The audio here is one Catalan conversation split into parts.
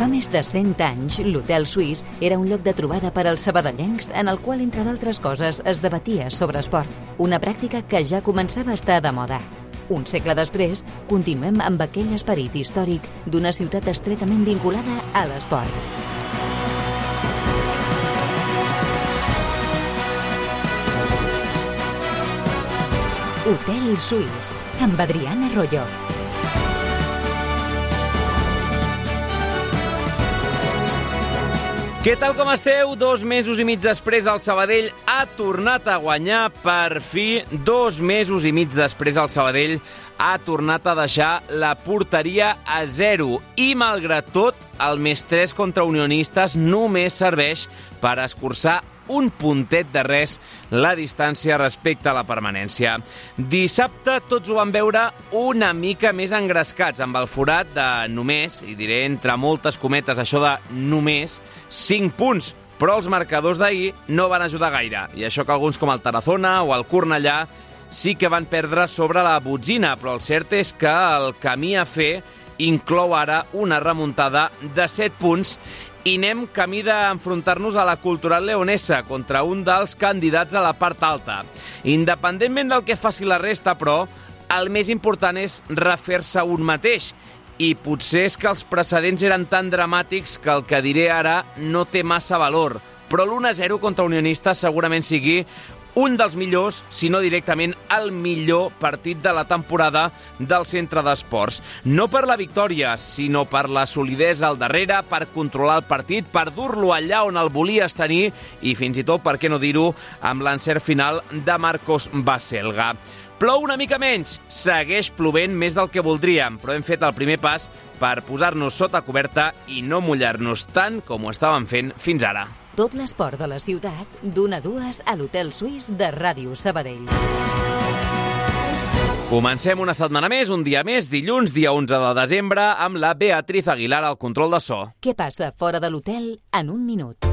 Fa més de 100 anys, l'Hotel Suís era un lloc de trobada per als sabadellencs en el qual, entre d'altres coses, es debatia sobre esport, una pràctica que ja començava a estar de moda. Un segle després, continuem amb aquell esperit històric d'una ciutat estretament vinculada a l'esport. Hotel Suís, amb Adriana Arroyo. Què tal com esteu? 2 mesos i mig després el Sabadell ha tornat a guanyar, per fi. 2 mesos i mig després el Sabadell ha tornat a deixar la porteria a 0 i, malgrat tot, el +3 contra Unionistes només serveix per escurçar un puntet de res la distància respecte a la permanència. Dissabte tots ho van veure una mica més engrescats, amb el forat de només, i diré entre moltes cometes això de només, 5 punts, però els marcadors d'ahir no van ajudar gaire, i això que alguns com el Tarazona o el Cornellà sí que van perdre sobre la botzina, però el cert és que el camí a fer inclou ara una remuntada de 7 punts i anem camí d'enfrontar-nos a la Cultural Leonesa contra un dels candidats a la part alta. Independentment del que faci la resta, però, el més important és refer-se un mateix. I potser és que els precedents eren tan dramàtics que el que diré ara no té massa valor. Però l'1-0 contra Unionistes segurament sigui un dels millors, si no directament el millor partit de la temporada del centre d'esports. No per la victòria, sinó per la solidesa al darrere, per controlar el partit, per dur-lo allà on el volies tenir i fins i tot, per què no dir-ho, amb l'encert final de Marcos Baselga. Plou una mica menys, segueix plovent més del que voldríem, però hem fet el primer pas per posar-nos sota coberta i no mullar-nos tant com ho estàvem fent fins ara. Tot l'esport de la ciutat, d'1 a 2 a l'Hotel Suís de Ràdio Sabadell. Comencem una setmana més, un dia més, dilluns, dia 11 de desembre, amb la Beatriz Aguilar al control de so. Què passa fora de l'hotel en un minut?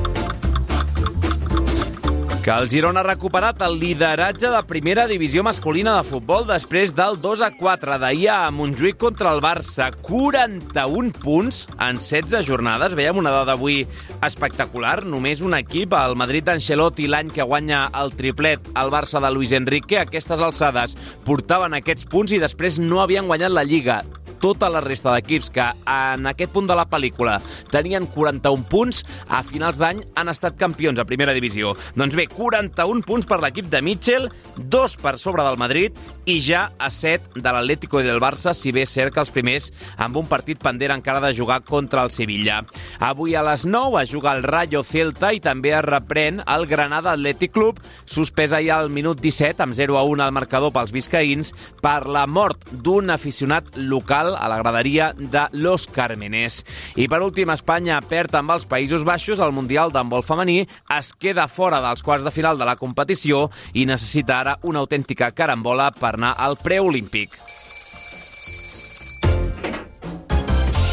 Que el Girona ha recuperat el lideratge de primera divisió masculina de futbol després del 2-4 d'ahir a Montjuïc contra el Barça. 41 punts en 16 jornades. Veiem una dada avui espectacular. Només un equip, el Madrid d'Ancelotti, l'any que guanya el triplet, el Barça de Luis Enrique, a aquestes alçades portaven aquests punts i després no havien guanyat la Lliga. Tota la resta d'equips que en aquest punt de la pel·lícula tenien 41 punts, a finals d'any han estat campions a primera divisió. Doncs bé, 41 punts per l'equip de Mitchell, 2 per sobre del Madrid i ja a 7 de l'Atlético i del Barça, si bé és cert que els primers amb un partit pendent encara de jugar contra el Sevilla. Avui a les 9 es juga el Rayo Celta i també es reprèn el Granada Athletic Club, suspès ahir al minut 17 amb 0-1 al marcador pels biscaïns per la mort d'un aficionat local a la graderia de Los Cármenes. I per últim, Espanya perd amb els Països Baixos el Mundial d'handbol femení, es queda fora dels quarts de final de la competició i necessita ara una autèntica carambola per anar al preolímpic.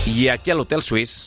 I aquí a l'Hotel Suís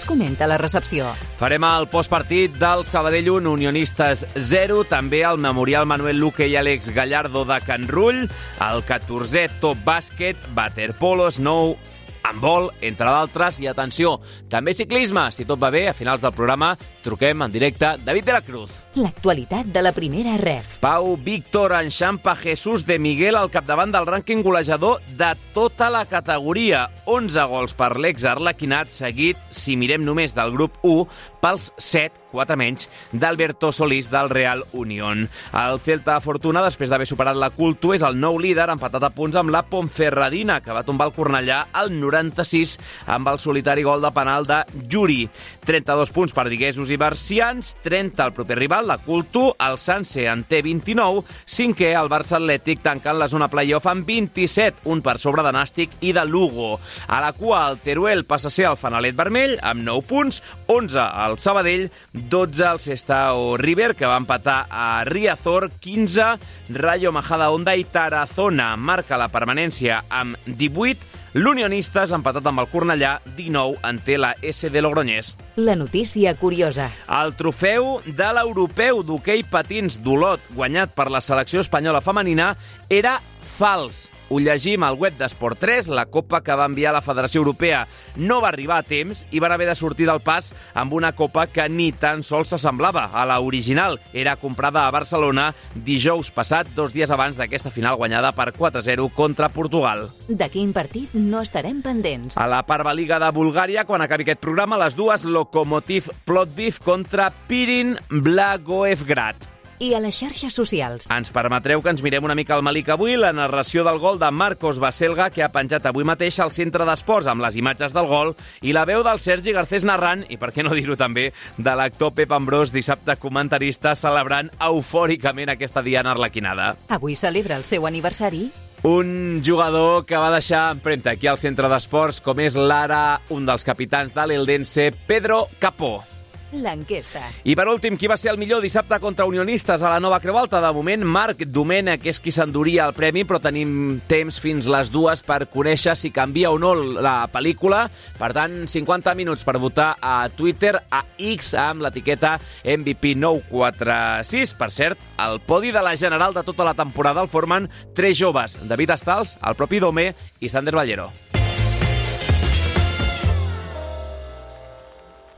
comenta la recepció. Farem el postpartit del Sabadell 1, Unionistes 0, també el Memorial Manuel Luque i Àlex Gallardo de Can Rull, el 14è Top Bàsquet, Waterpolo, Snow, handbol, entre d'altres, i atenció, també ciclisme. Si tot va bé, a finals del programa truquem en directe David de la Cruz. L'actualitat de la primera ref. Pau Víctor enxampa Jesús de Miguel al capdavant del rànquing golejador de tota la categoria. 11 gols per l'ex-arlequinat, seguit, si mirem només del grup 1, pels 7, 4 menys, d'Alberto Solís del Real Unión. El Celta Fortuna, després d'haver superat la Culto, és el nou líder, empatat a punts amb la Ponferradina, que va tombar el Cornellà al 96 amb el solitari gol de penal de Juri. 32 punts per viguesos i bercians, 30 el proper rival, la Culto, el Sanse en té 29, 5è el Barça Atlètic tancant la zona playoff amb 27, un per sobre de Nàstic i de Lugo. A la cua, el Teruel passa a ser el fanalet vermell amb 9 punts, 11 al Sabadell, 12 al Sestao River, que va empatar a Riazor, 15 Rayo Majadahonda i Tarazona marca la permanència amb 18, L'Unionistes, empatat amb el Cornellà, 19 en té la SD Logroñés. La notícia curiosa. El trofeu de l'europeu d'hoquei patins d'Olot, guanyat per la selecció espanyola femenina, era fals. Ho llegim al web d'Esport 3, la copa que va enviar la Federació Europea no va arribar a temps i van haver de sortir del pas amb una copa que ni tan sols s'assemblava a la original. Era comprada a Barcelona dijous passat, 2 dies abans d'aquesta final guanyada per 4-0 contra Portugal. De quin partit no estarem pendents? A la Parvaliga de Bulgària, quan acabi aquest programa, les dues Lokomotiv Plovdiv contra Pirin Blagoevgrad. I a les xarxes socials. Ens permetreu que ens mirem una mica al Malik avui, la narració del gol de Marcos Baselga, que ha penjat avui mateix al centre d'esports amb les imatges del gol, i la veu del Sergi Garcés narrant, i per què no dir-ho també, de l'actor Pep Ambrós, dissabte comentarista, celebrant eufòricament aquesta diana arlequinada. Avui celebra el seu aniversari. Un jugador que va deixar empremta aquí al centre d'esports, com és l'ara un dels capitans de l'Eldense, Pedro Capó. L'enquesta. I per últim, qui va ser el millor dissabte contra Unionistes a la Nova Creu Alta? De moment, Marc Domènech és qui s'enduria el premi, però tenim temps fins les 2 per conèixer si canvia o no la pel·lícula. Per tant, 50 minuts per votar a Twitter, a X, amb l'etiqueta MVP946. Per cert, el podi de la general de tota la temporada el formen 3 joves, David Estals, el propi Domé i Sander Ballero.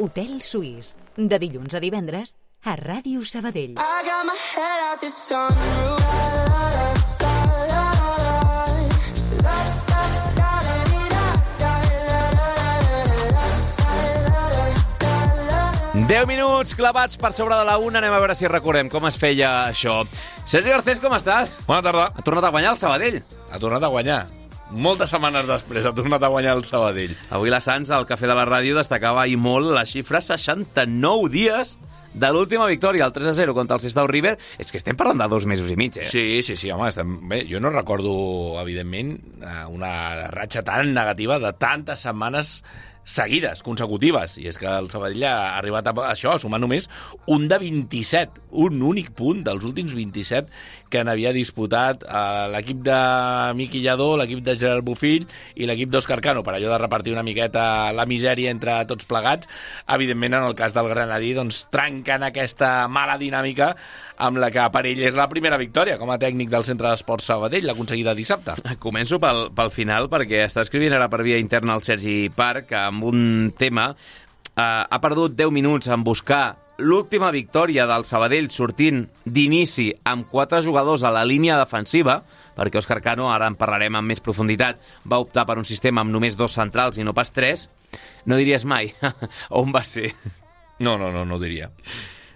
Hotel Suís, de dilluns a divendres, a Ràdio Sabadell. Deu minuts clavats per sobre de la 1. Anem a veure si recordem com es feia això. Sergi Garcés, com estàs? Bona tarda. Ha tornat a guanyar el Sabadell. Ha tornat a guanyar. Moltes setmanes després ha tornat a guanyar el Sabadell. Avui la Sants, al Cafè de la Ràdio, destacava i molt la xifra 69 dies de l'última victòria, el 3-0 contra el Sestao River. És que estem parlant de 2 mesos i mig, eh? Sí, home, bé, jo no recordo, evidentment, una ratxa tan negativa de tantes setmanes seguides, consecutives, i és que el Sabadell ha arribat a això, a sumar només un de 27, un únic punt dels últims 27 que n'havia disputat l'equip de Miqui Lladó, l'equip de Gerard Bofill i l'equip d'Òscar Cano, per allò de repartir una miqueta la misèria entre tots plegats. Evidentment, en el cas del Granadí, doncs trenquen aquesta mala dinàmica amb la que per ell és la primera victòria com a tècnic del Centre d'Esports Sabadell, l'aconseguida dissabte. Començo pel final, perquè està escrivint ara per via interna el Sergi Parc amb un tema. Ha perdut 10 minuts en buscar l'última victòria del Sabadell sortint d'inici amb 4 jugadors a la línia defensiva, perquè Òscar Cano, ara en parlarem amb més profunditat, va optar per un sistema amb només 2 centrals i no pas 3. No diries mai on va ser. No ho diria.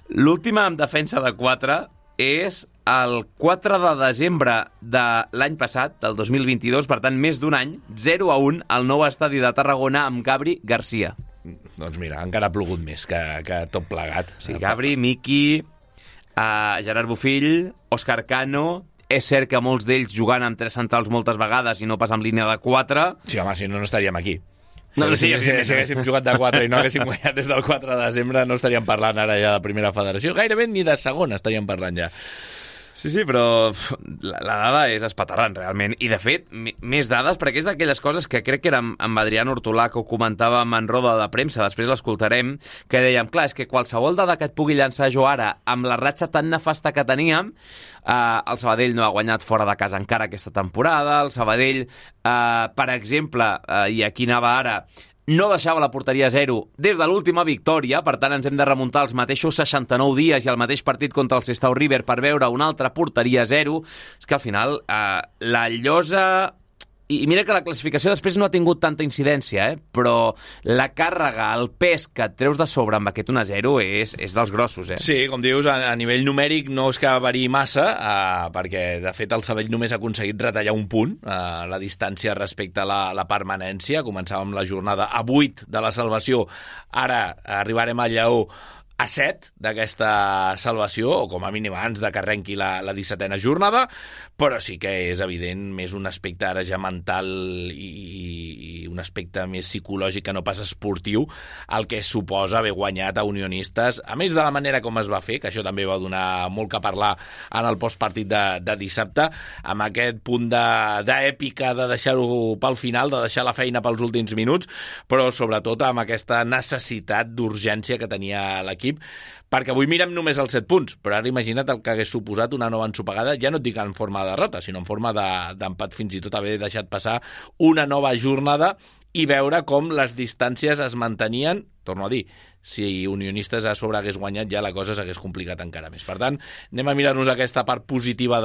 L'última en defensa de 4 és el 4 de desembre de l'any passat, del 2022, per tant, més d'un any, 0-1 al nou estadi de Tarragona amb Gabri Garcia. Doncs mira, encara ha plogut més que tot plegat. Sí, Gabri, Miqui, Gerard Bofill, Òscar Cano. És cert que molts d'ells jugant amb 3 centrals moltes vegades i no pas amb línia de 4. Sí, home, si no estaríem aquí. No, si haguéssim jugat de 4 i no haguéssim guanyat des del 4 de desembre, no estaríem parlant ara ja de primera federació. Gairebé ni de segona estaríem parlant ja. Sí, però la dada és espaterrant, realment. I, de fet, més dades, perquè és d'aquelles coses que crec que era amb Adrián Hortolà, que ho comentàvem en roda de premsa, després l'escoltarem, que dèiem, clar, és que qualsevol dada que et pugui llançar jo ara, amb la ratxa tan nefasta que teníem, el Sabadell no ha guanyat fora de casa encara aquesta temporada, el Sabadell, per exemple, i aquí anava ara, no deixava la porteria a 0 des de l'última victòria, per tant ens hem de remuntar als mateixos 69 dies i al mateix partit contra el Sestao River per veure una altra porteria a 0. És que al final la llosa... I mira que la classificació després no ha tingut tanta incidència, però la càrrega, el pes que et treus de sobre amb aquest 1-0 és dels grossos, eh? Sí, com dius, a nivell numèric no és que variï massa, perquè de fet el Sabadell només ha aconseguit retallar un punt, la distància respecte a la permanència. Començàvem la jornada a 8 de la salvació, ara arribarem al Lleó a 7 d'aquesta salvació, o com a mínim abans de que arrenqui la 17a jornada, però sí que és evident més un aspecte ara ja mental i un aspecte més psicològic que no pas esportiu el que suposa haver guanyat a Unionistes, a més de la manera com es va fer, que això també va donar molt que parlar en el postpartit de dissabte, amb aquest punt d'èpica de deixar-ho pel final, de deixar la feina pels últims minuts, però sobretot amb aquesta necessitat d'urgència que tenia l'equip, perquè avui mirem només els 7 punts, però ara imagina't el que hagués suposat una nova ensopegada, ja no et dic en forma de derrota, sinó en forma d'empat, fins i tot haver deixat passar una nova jornada i veure com les distàncies es mantenien, torno a dir, si Unionistes a sobre hagués guanyat ja la cosa s'hagués complicat encara més. Per tant, anem a mirar-nos aquesta part positiva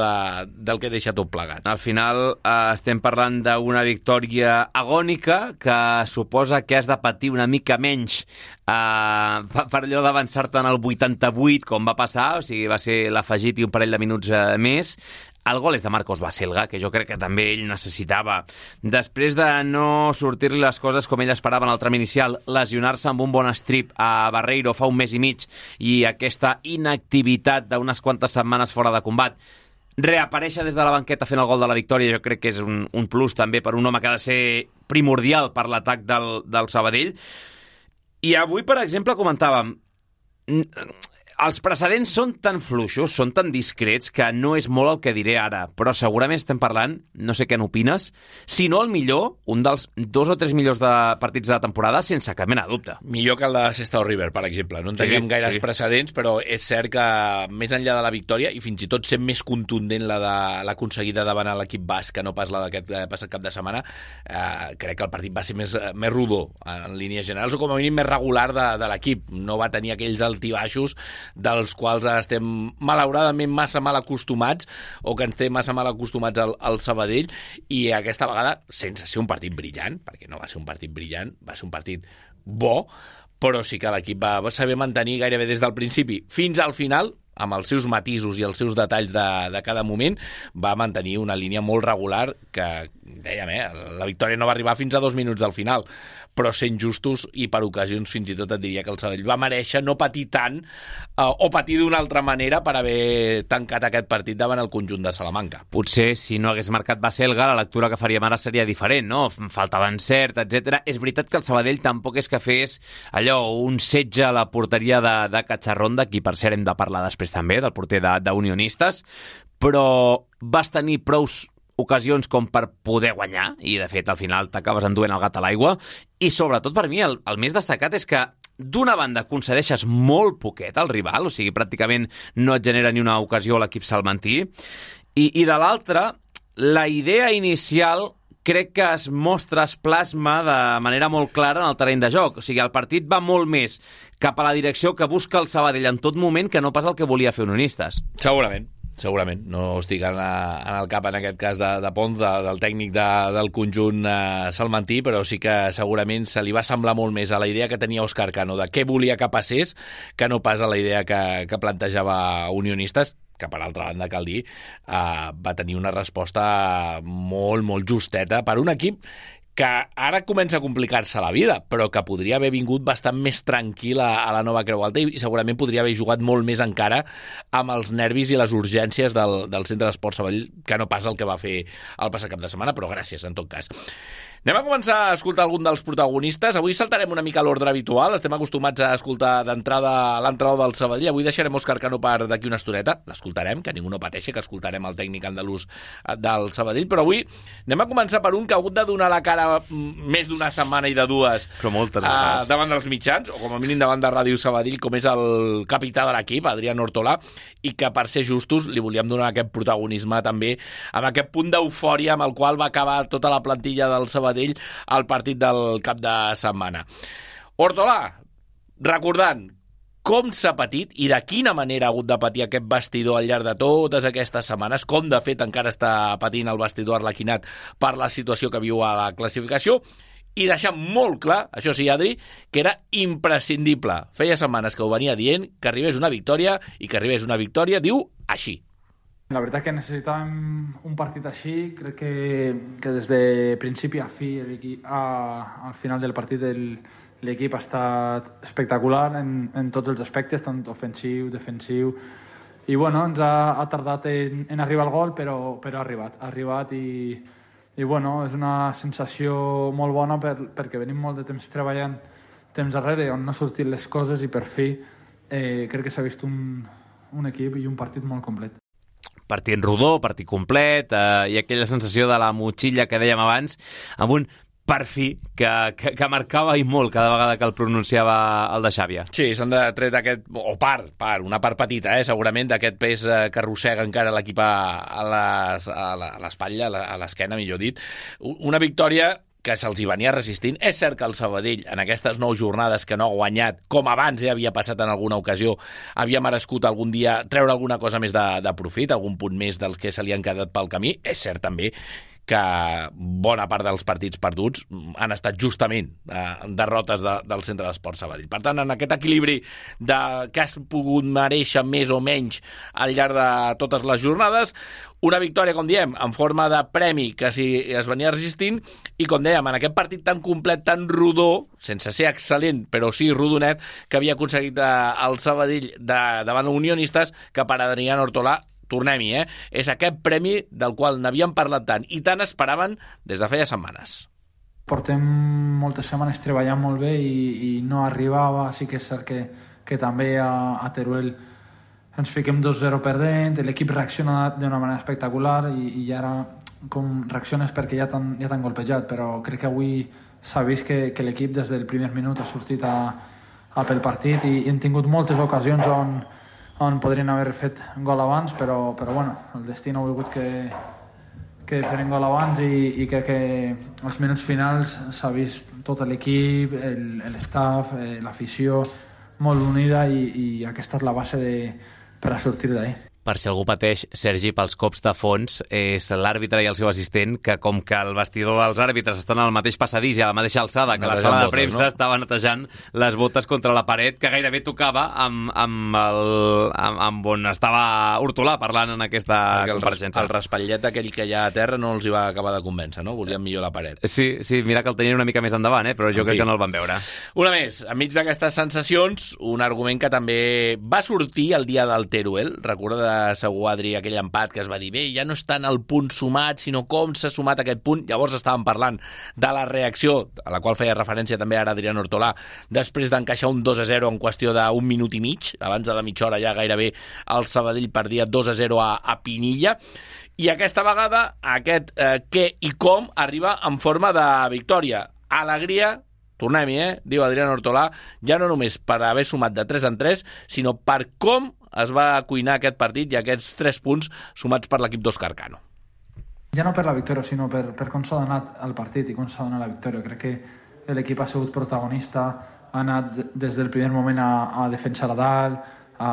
del que deixa tot plegat. Al final estem parlant d'una victòria agònica que suposa que has de patir una mica menys per allò d'avançar-te en el 88, com va passar, o sigui, va ser l'afegit i un parell de minuts més. El gol és de Marcos Baselga, que jo crec que també ell necessitava. Després de no sortir-li les coses com ell esperava en el tram inicial, lesionar-se amb un bon strip a Barreiro fa un mes i mig i aquesta inactivitat d'unes quantes setmanes fora de combat, reaparèixer des de la banqueta fent el gol de la victòria, jo crec que és un plus també per un home que ha de ser primordial per l'atac del Sabadell. I avui, per exemple, comentàvem, els precedents són tan fluixos, són tan discrets, que no és molt el que diré ara, però segurament estem parlant, no sé què n'opines, si no el millor, un dels 2 o 3 millors partits de la temporada, sense cap mena de dubte. Millor que el de Sestao River, per exemple. No en tenim gaires precedents, però és cert que més enllà de la victòria, i fins i tot sent més contundent l'aconseguida davant l'equip basc, que no pas la d'aquest passat cap de setmana, crec que el partit va ser més rodó en línies generals, o com a mínim més regular de l'equip. No va tenir aquells altibaixos dels quals estem malauradament massa mal acostumats o que ens té massa mal acostumats al Sabadell, i aquesta vegada sense ser un partit brillant, perquè no va ser un partit brillant, va ser un partit bo, però sí que l'equip va saber mantenir gairebé des del principi fins al final, amb els seus matisos i els seus detalls de cada moment, va mantenir una línia molt regular que, dèiem, la victòria no va arribar fins a 2 minuts del final, però sent justos i per ocasions fins i tot et diria que el Sabadell va mereixer no patir tant o patir d'una altra manera per haver tancat aquest partit davant el conjunt de Salamanca. Potser si no hagués marcat Baselga la lectura que faríem ara seria diferent, no? Falta d'encert, etc. És veritat que el Sabadell tampoc és que fes allò, un setge a la porteria de Cacharronda, qui per cert hem de parlar després també, del porter d'Unionistes, però vas tenir prous ocasions com per poder guanyar, i de fet al final t'acabes enduent el gat a l'aigua, i sobretot per mi el més destacat és que d'una banda concedeixes molt poquet al rival, o sigui, pràcticament no et genera ni una ocasió a l'equip salmantí, i de l'altra, la idea inicial crec que es mostra, es plasma de manera molt clara en el terreny de joc. O sigui, el partit va molt més cap a la direcció que busca el Sabadell en tot moment que no pas el que volia fer Unionistes. Segurament, no estic en el cap en aquest cas de Pons, del tècnic del conjunt salmantí, però sí que segurament se li va semblar molt més a la idea que tenia Òscar Cano de què volia que passés que no pas a la idea que plantejava Unionistes, que per altra banda, cal dir, va tenir una resposta molt, molt justeta per un equip que ara comença a complicar-se la vida, però que podria haver vingut bastant més tranquil a la nova Creu Alta i segurament podria haver jugat molt més encara amb els nervis i les urgències del Centre d'Esport Sabadell, que no pas el que va fer el passat cap de setmana, però gràcies, en tot cas. Anem a començar a escoltar algun dels protagonistes. Avui saltarem una mica l'ordre habitual. Estem acostumats a escoltar d'entrada l'entrenador del Sabadell. Avui deixarem Òscar Cano per d'aquí una estoneta. L'escoltarem, que ningú no pateixi, que escoltarem el tècnic andalús del Sabadell. Però avui anem a començar per un que ha hagut de donar la cara més d'una setmana i de dues davant dels mitjans, o com a mínim davant de Ràdio Sabadell, com és el capità de l'equip, Adrián Ortolà, i que per ser justos li volíem donar aquest protagonisme també, amb aquest punt d'eufòria amb el qual va acabar tota la plantilla del Sabadell al partit del cap de setmana. Ortolà, recordant com s'ha patit i de quina manera ha hagut de patir aquest vestidor al llarg de totes aquestes setmanes, com de fet encara està patint el vestidor arlequinat per la situació que viu a la classificació, i deixar molt clar, això sí, Adri, que era imprescindible. Feia setmanes que ho venia dient, que arribés una victòria, i que arribés una victòria, diu, així. La veritat que necessitàvem un partit així. Crec que des de principi a fi al final del partit el l'equip ha estat espectacular en tots els aspectes, tant ofensiu, defensiu, i bueno, ens ha tardat en arribar al gol, però ha arribat i bueno, és una sensació molt bona perquè venim molt de temps treballant temps darrere on no han sortit les coses i per fi crec que s'ha vist un equip i un partit molt complet. Partit rodó, partit complet, i aquella sensació de la motxilla que dèiem abans, amb un per fi que marcava i molt cada vegada que el pronunciava el de Xàbia. Sí, s'han de tret aquest, o una part petita, segurament, d'aquest pes que arrossega encara l'equip a l'espatlla, a l'esquena, millor dit. Una victòria que se'ls hi venia resistint. És cert que el Sabadell, en aquestes 9 jornades que no ha guanyat, com abans ja havia passat en alguna ocasió, havia merescut algun dia treure alguna cosa més de profit, algun punt més dels que se li han quedat pel camí. És cert també que bona part dels partits perduts han estat justament derrotes del Centre d'Esport Sabadell. Per tant, en aquest equilibri que has pogut mereixer més o menys al llarg de totes les jornades, una victòria, com diem, en forma de premi que es venia resistint, i com dèiem, en aquest partit tan complet, tan rodó, sense ser excel·lent, però sí rodonet, que havia aconseguit el Sabadell davant Unionistes, que per Adrián Ortolà, tornem-hi, és aquest premi del qual n'havien parlat tant i tant esperaven des de feia setmanes. Portem moltes setmanes treballant molt bé i no arribava. Sí que és cert que també a Teruel ens fiquem 2-0 perdent, l'equip reacciona d'una manera espectacular i ara com reacciones perquè ja t'han golpejat, però crec que avui s'ha vist que l'equip des del primer minut ha sortit a pel partit i hem tingut moltes ocasions on podrien haver fet gol abans, però bueno, el destí no ha volgut que feren gol abans i crec que als minuts finals s'ha vist tot l'equip, l'staff, l'afició molt unida i aquesta és la base per a sortir d'ahí. Per si algú pateix, Sergi, pels cops de fons, és l'àrbitre i el seu assistent, que com que el vestidor dels àrbitres estan al mateix passadís i a la mateixa alçada que la sala de premsa, no? Estava netejant les botes contra la paret, que gairebé tocava amb on estava Hortolà parlant en aquesta compareixença. El raspallet aquell que hi ha a terra no els hi va acabar de convèncer, no? Volien millor la paret. Sí, mira que el tenien una mica més endavant, però jo crec que no el van veure. Una més, enmig d'aquestes sensacions, un argument que també va sortir el dia del Teruel, recorda segur, Adri, aquell empat que es va dir bé, ja no és tant el punt sumat, sinó com s'ha sumat aquest punt. Llavors estàvem parlant de la reacció, a la qual feia referència també ara Adrián Hortolà, després d'encaixar un 2-0 en qüestió d'un minut i mig, abans de la mitja hora ja gairebé el Sabadell perdia 2-0 a Pinilla, i aquesta vegada aquest què i com arriba en forma de victòria. Alegria, tornem-hi, diu Adrián Hortolà, ja no només per haver sumat de 3 en 3, sinó per com es va cuinar aquest partit i aquests 3 punts sumats per l'equip d'Òscar Cano. Ja no per la victòria, sinó per com s'ha donat el partit i com s'ha donat la victòria. Crec que l'equip ha sigut protagonista, ha anat des del primer moment a defensar a dalt, a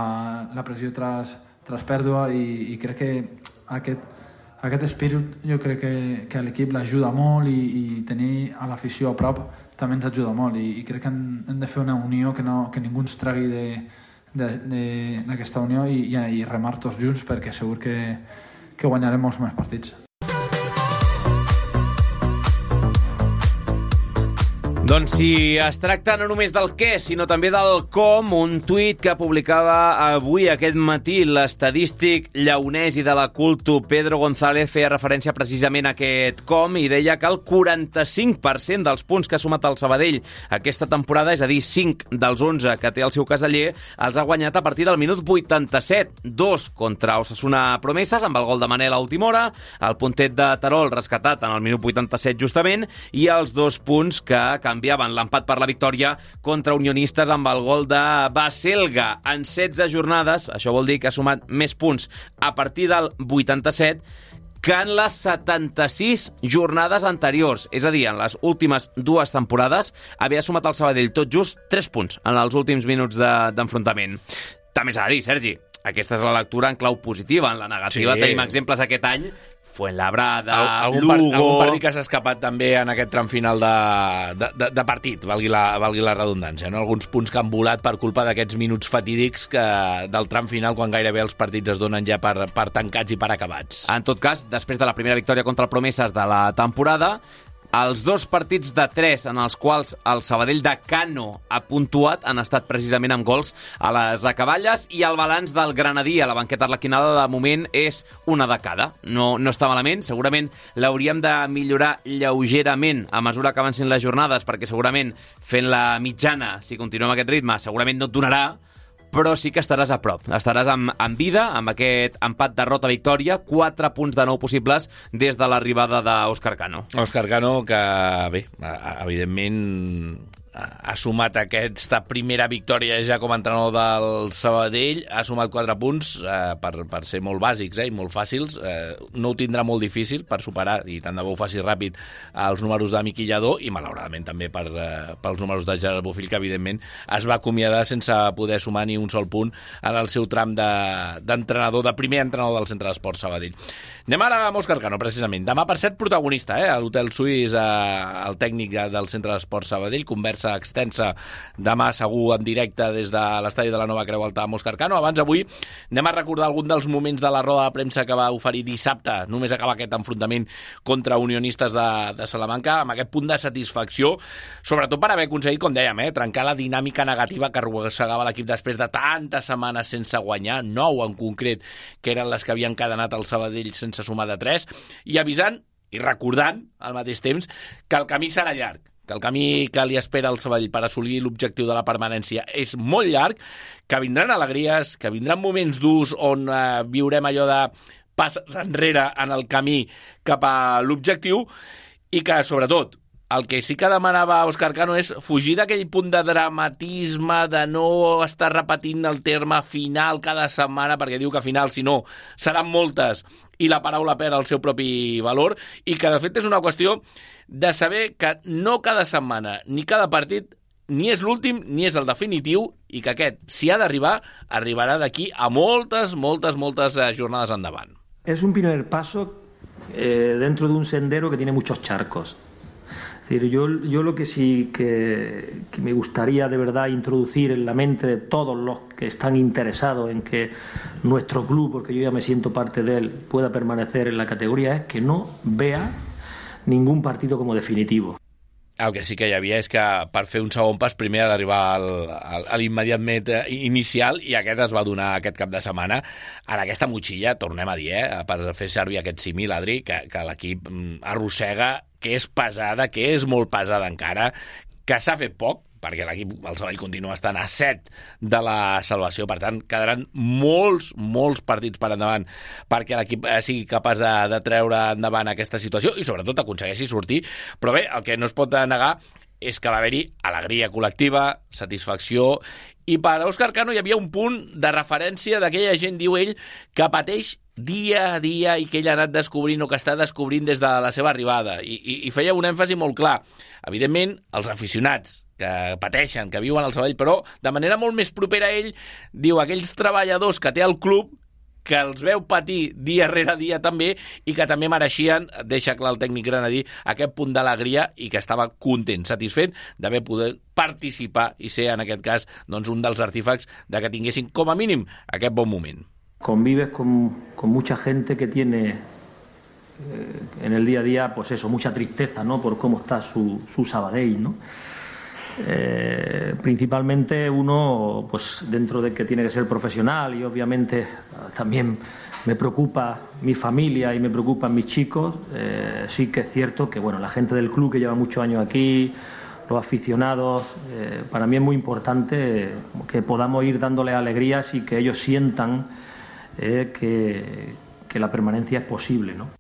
la pressió tras pèrdua, i crec que aquest espírit jo crec que a l'equip l'ajuda molt i tenir a l'afició a prop també ens ajuda molt i crec que hem de fer una unió que ningú ens tregui d'aquesta unió i remar tots junts perquè segur que guanyarem molts més partits. Doncs si es tracta no només del què, sinó també del com, un tuit que publicava avui aquest matí l'estadístic lleonès i de la Culto Pedro González feia referència precisament a aquest com i deia que el 45% dels punts que ha sumat el Sabadell aquesta temporada, és a dir, 5 dels 11 que té el seu caseller, els ha guanyat a partir del minut 87, 2 contra Osasuna Promeses, amb el gol de Manel a última hora, el puntet de Terol rescatat en el minut 87 justament, i els 2 punts que canviaven l'empat per la victòria contra Unionistes amb el gol de Baselga. En 16 jornades, això vol dir que ha sumat més punts a partir del 87 que en les 76 jornades anteriors. És a dir, en les últimes 2 temporades havia sumat el Sabadell tot just 3 punts en els últims minuts d'enfrontament. També s'ha de dir, Sergi, aquesta és la lectura en clau positiva. En la negativa tenim exemples aquest any. Fuenlabrada, Lugo... Algun partit que s'ha escapat també en aquest tram final de partit, valgui la redundància, no? Alguns punts que han volat per culpa d'aquests minuts fatídics del tram final, quan gairebé els partits es donen ja per tancats i per acabats. En tot cas, després de la primera victòria contra el Promeses de la temporada, Els 2 partits de 3 en els quals el Sabadell de Cano ha puntuat han estat precisament amb gols a les acaballes, i el balanç del Granadí a la banqueta arlequinada de moment és una de cada. No està malament, segurament l'hauríem de millorar lleugerament a mesura que avancin les jornades, perquè segurament fent la mitjana, si continuem aquest ritme, segurament no et donarà, però sí que estaràs a prop. Estaràs en vida, amb aquest empat derrota-victòria, 4 punts de 9 possibles des de l'arribada d'Òscar Cano. Òscar Cano, que bé, evidentment ha sumat aquesta primera victòria ja com a entrenador del Sabadell, ha sumat 4 punts per ser molt bàsics i molt fàcils. No ho tindrà molt difícil per superar, i tant de bo ho faci ràpid, els números de Miqui Lladó, i malauradament també pels números de Gerard Bofill, que evidentment es va acomiadar sense poder sumar ni un sol punt en el seu tram d'entrenador, de primer entrenador del Centre d'Esports Sabadell. Anem ara amb Òscar Cano, precisament. Demà, per cert, protagonista, a l'Hotel Suís, el tècnic del Centre d'Esports Sabadell, conversa extensa demà segur en directe des de l'estadi de la Nova Creu Alta amb Òscar Cano. Abans, avui, anem a recordar algun dels moments de la roda de premsa que va oferir dissabte, només acabar aquest enfrontament contra Unionistes de Salamanca, amb aquest punt de satisfacció, sobretot per haver aconseguit, com dèiem, trencar la dinàmica negativa que arrossegava l'equip després de tantes setmanes sense guanyar, 9 en concret, que eren les que havien encadenat el Sabadell sense sumar de 3, i avisant i recordant al mateix temps que el camí serà llarg, que el camí que li espera al Sabadell per assolir l'objectiu de la permanència és molt llarg, que vindran alegries, que vindran moments durs on viurem allò de passes enrere en el camí cap a l'objectiu, i que, sobretot, el que sí que demanava Òscar Cano és fugir d'aquell punt de dramatisme, de no estar repetint el terme final cada setmana, perquè diu que final, si no, seran moltes, i la paraula perd el seu propi valor, i que de fet és una qüestió de saber que no cada setmana ni cada partit ni és l'últim ni és el definitiu, i que aquest, si ha d'arribar, arribarà d'aquí a moltes jornades endavant. Es un primer paso dentro de un sendero que tiene muchos charcos. Es decir, yo lo que sí que me gustaría de verdad introducir en la mente de todos los que están interesados en que nuestro club, porque yo ya me siento parte de él, pueda permanecer en la categoría, es que no vea ningún partido como definitivo. El que sí que hi havia és que per fer un segon pas primer ha d'arribar a l'immediatament inicial, i aquest es va donar aquest cap de setmana en aquesta motxilla, tornem a dir, per fer servir aquest símil, Adri, que l'equip arrossega, que és pesada, que és molt pesada encara, que s'ha fet poc, perquè l'equip, el Sabadell, continua estant a 7 de la salvació. Per tant, quedaran molts partits per endavant perquè l'equip sigui capaç de treure endavant aquesta situació i, sobretot, aconsegueixi sortir. Però bé, el que no es pot negar és que va haver-hi alegria col·lectiva, satisfacció, i per Òscar Cano hi havia un punt de referència d'aquella gent, diu ell, que pateix dia a dia i que ell ha anat descobrint o que està descobrint des de la seva arribada. I feia un èmfasi molt clar. Evidentment, els aficionats que pateixen, que viuen al Sabadell, però de manera molt més propera a ell, diu, aquells treballadors que té el club, que els veu patir dia rere dia també, i que també mereixien, deixa clar el tècnic granadí, aquest punt d'alegria, i que estava content, satisfet d'haver pogut participar i ser, en aquest cas, doncs, un dels artífecs de que tinguessin, com a mínim, aquest bon moment. Convives con mucha gente que tiene en el día a día, pues eso, mucha tristeza, ¿no?, por cómo está su Sabadell, ¿no? Principalmente uno, pues dentro de que tiene que ser profesional, y obviamente también me preocupa mi familia y me preocupan mis chicos, sí que es cierto que, bueno, la gente del club que lleva muchos años aquí, los aficionados, para mí es muy importante que podamos ir dándole alegrías y que ellos sientan que la permanencia es posible, ¿no?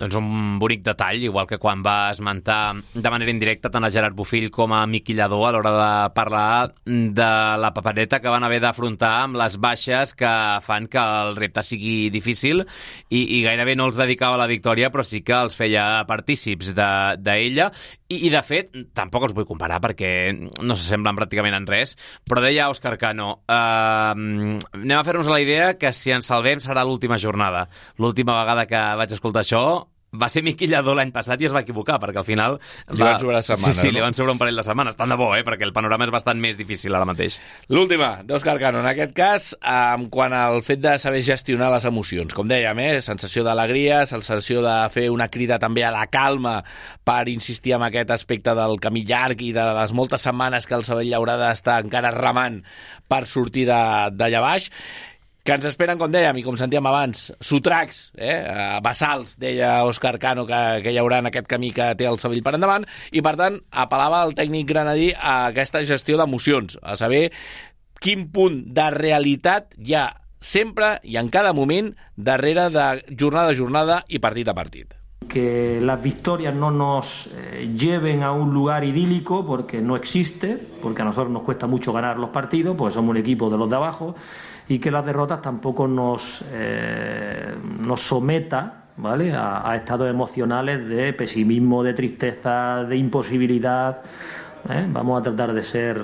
Doncs un bonic detall, igual que quan va esmentar de manera indirecta tant a Gerard Bofill com a Miqui Lladó a l'hora de parlar de la papereta que van haver d'afrontar amb les baixes que fan que el repte sigui difícil, i gairebé no els dedicava a la victòria, però sí que els feia partícips d'ella, i de fet tampoc els vull comparar perquè no s'assemblen pràcticament en res, però deia Òscar Cano, anem a fer-nos la idea que si ens salvem serà l'última jornada. L'última vegada que vaig escoltar això va ser Miqui Lladó l'any passat i es va equivocar, perquè al final... Li van sobrar setmanes, sí, no? li van sobrar un parell de setmanes. Tant de bo, perquè el panorama és bastant més difícil ara mateix. L'última, d'Òscar Cano, en aquest cas, quant al fet de saber gestionar les emocions. Com dèiem, sensació d'alegria, sensació de fer una crida també a la calma per insistir en aquest aspecte del camí llarg i de les moltes setmanes que el Sabadell haurà d'estar encara remant per sortir d'allà baix, que ens esperen, com dèiem, i com sentíem abans, sotracs, bassals, deia Òscar Cano, que hi haurà en aquest camí que té el Sabadell per endavant, i per tant apel·lava el tècnic granadí a aquesta gestió d'emocions, a saber quin punt de realitat hi ha sempre i en cada moment darrere de jornada a jornada i partit a partit. Que las victorias no nos lleven a un lugar idílico, porque no existe, porque a nosotros nos cuesta mucho ganar los partidos, porque somos un equipo de los de abajo, y que las derrotas tampoco nos someta, ¿vale?, a estados emocionales de pesimismo, de tristeza, de imposibilidad. Vamos a tratar de ser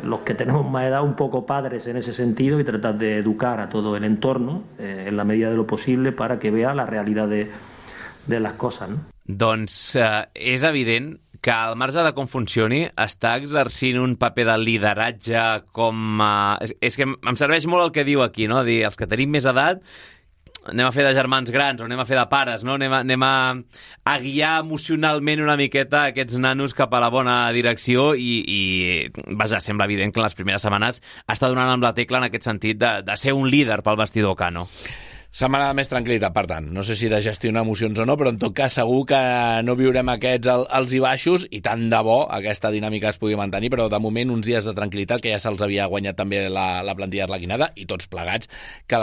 los que tenemos más edad un poco padres en ese sentido y tratar de educar a todo el entorno en la medida de lo posible para que vea la realidad de les coses, no? Doncs és evident que al marge de com funcioni està exercint un paper de lideratge com... És que em serveix molt el que diu aquí, no? Dir, els que tenim més edat anem a fer de germans grans o anem a fer de pares, no? Anem a guiar emocionalment una miqueta aquests nanos cap a la bona direcció i vaja, sembla evident que en les primeres setmanes està donant amb la tecla en aquest sentit de ser un líder pel vestidor Cano. Setmana de més tranquil·litat, per tant. No sé si de gestionar emocions o no, però en tot cas segur que no viurem aquests alts i baixos i tant de bo aquesta dinàmica es pugui mantenir, però de moment uns dies de tranquil·litat que ja se'ls havia guanyat també la plantilla arlequinada i tots plegats que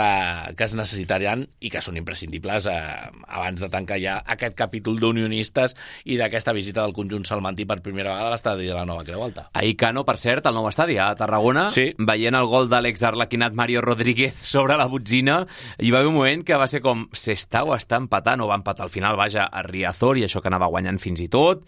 es necessitaran i que són imprescindibles abans de tancar ja aquest capítol d'unionistes i d'aquesta visita del conjunt salmantí per primera vegada a l'estadi de la Nova Creu Alta. Ahir Cano, per cert, al nou estadi a Tarragona, sí, veient el gol de l'exarlequinat Mario Rodríguez sobre la botzina, hi va haver un moment que va ser com s'està o està empatant, o va empatar al final, vaja, a Riazor, i això que anava guanyant fins i tot.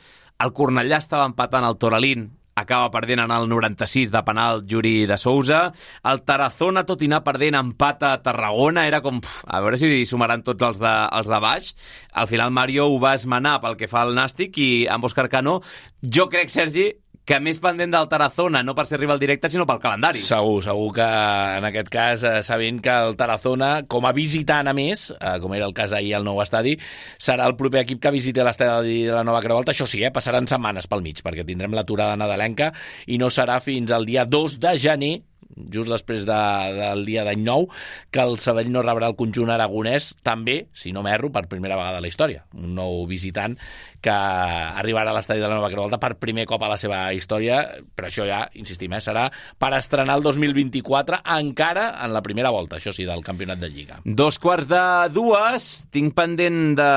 El Cornellà estava empatant el Toralín, acaba perdent en el 96 de penal Yuri de Sousa. El Tarazona, tot i anar perdent, empata a Tarragona. Era com, a veure si sumaran tots els de baix. Al final Mario ho va esmenar pel que fa al Nàstic i amb Òscar Cano, jo crec, Sergi, que més pendent del Tarazona, no per ser rival directe, sinó pel calendari. Segur que en aquest cas, sabent que el Tarazona, com a visitant a més, com era el cas ahir al nou estadi, serà el proper equip que visiti l'estadi de la Nova Creu Alta. Això sí, passaran setmanes pel mig, perquè tindrem l'aturada nadalenca i no serà fins al dia 2 de gener, just després del dia d'any nou, que el Sabadell no rebrà el conjunt aragonès, també, si no m'erro, per primera vegada a la història. Un nou visitant que arribarà a l'estadi de la Nova Creu Alta per primer cop a la seva història, però això ja, insistim, serà per estrenar el 2024 encara en la primera volta, això sí, del campionat de Lliga. 2:45, tinc pendent de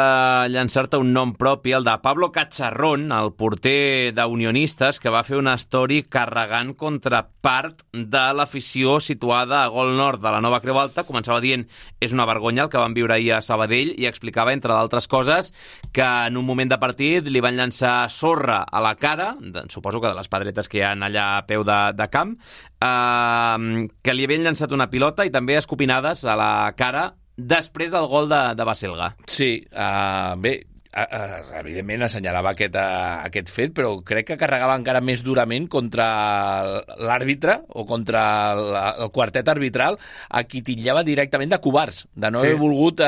llançar-te un nom propi, el de Pablo Cacharrón, el porter d'Unionistes, que va fer una story carregant contra part de l'afició situada a Gol Nord de la Nova Creu Alta. Començava dient, és una vergonya el que van viure ahir a Sabadell, i explicava, entre d'altres coses, que en un moment de partit li van llançar sorra a la cara, suposo que de les pedretes que hi ha allà a peu de camp, que li havien llançat una pilota i també escopinades a la cara després del gol de Baselga. Sí, bé, evidentment assenyalava aquest fet, però crec que carregava encara més durament contra l'àrbitre o contra el quartet arbitral, a qui titllava directament de covards, de no haver volgut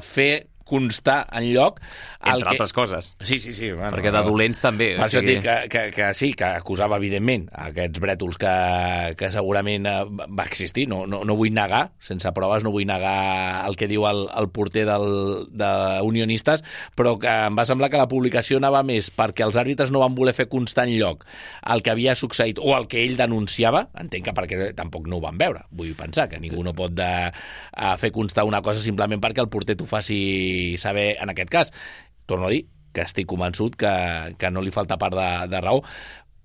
fer constar enlloc entre altres coses. Sí. Bueno, perquè de dolents també. Per això et dic que sí, que acusava evidentment aquests brètols que segurament va existir. No vull negar, sense proves, no vull negar el que diu el porter d'Unionistes, però que em va semblar que la publicació anava més perquè els àrbitres no van voler fer constar enlloc el que havia succeït o el que ell denunciava. Entenc que perquè tampoc no ho van veure. Vull pensar que ningú no pot fer constar una cosa simplement perquè el porter t'ho faci saber en aquest cas. Torno a dir que estic convençut que no li falta part de raó,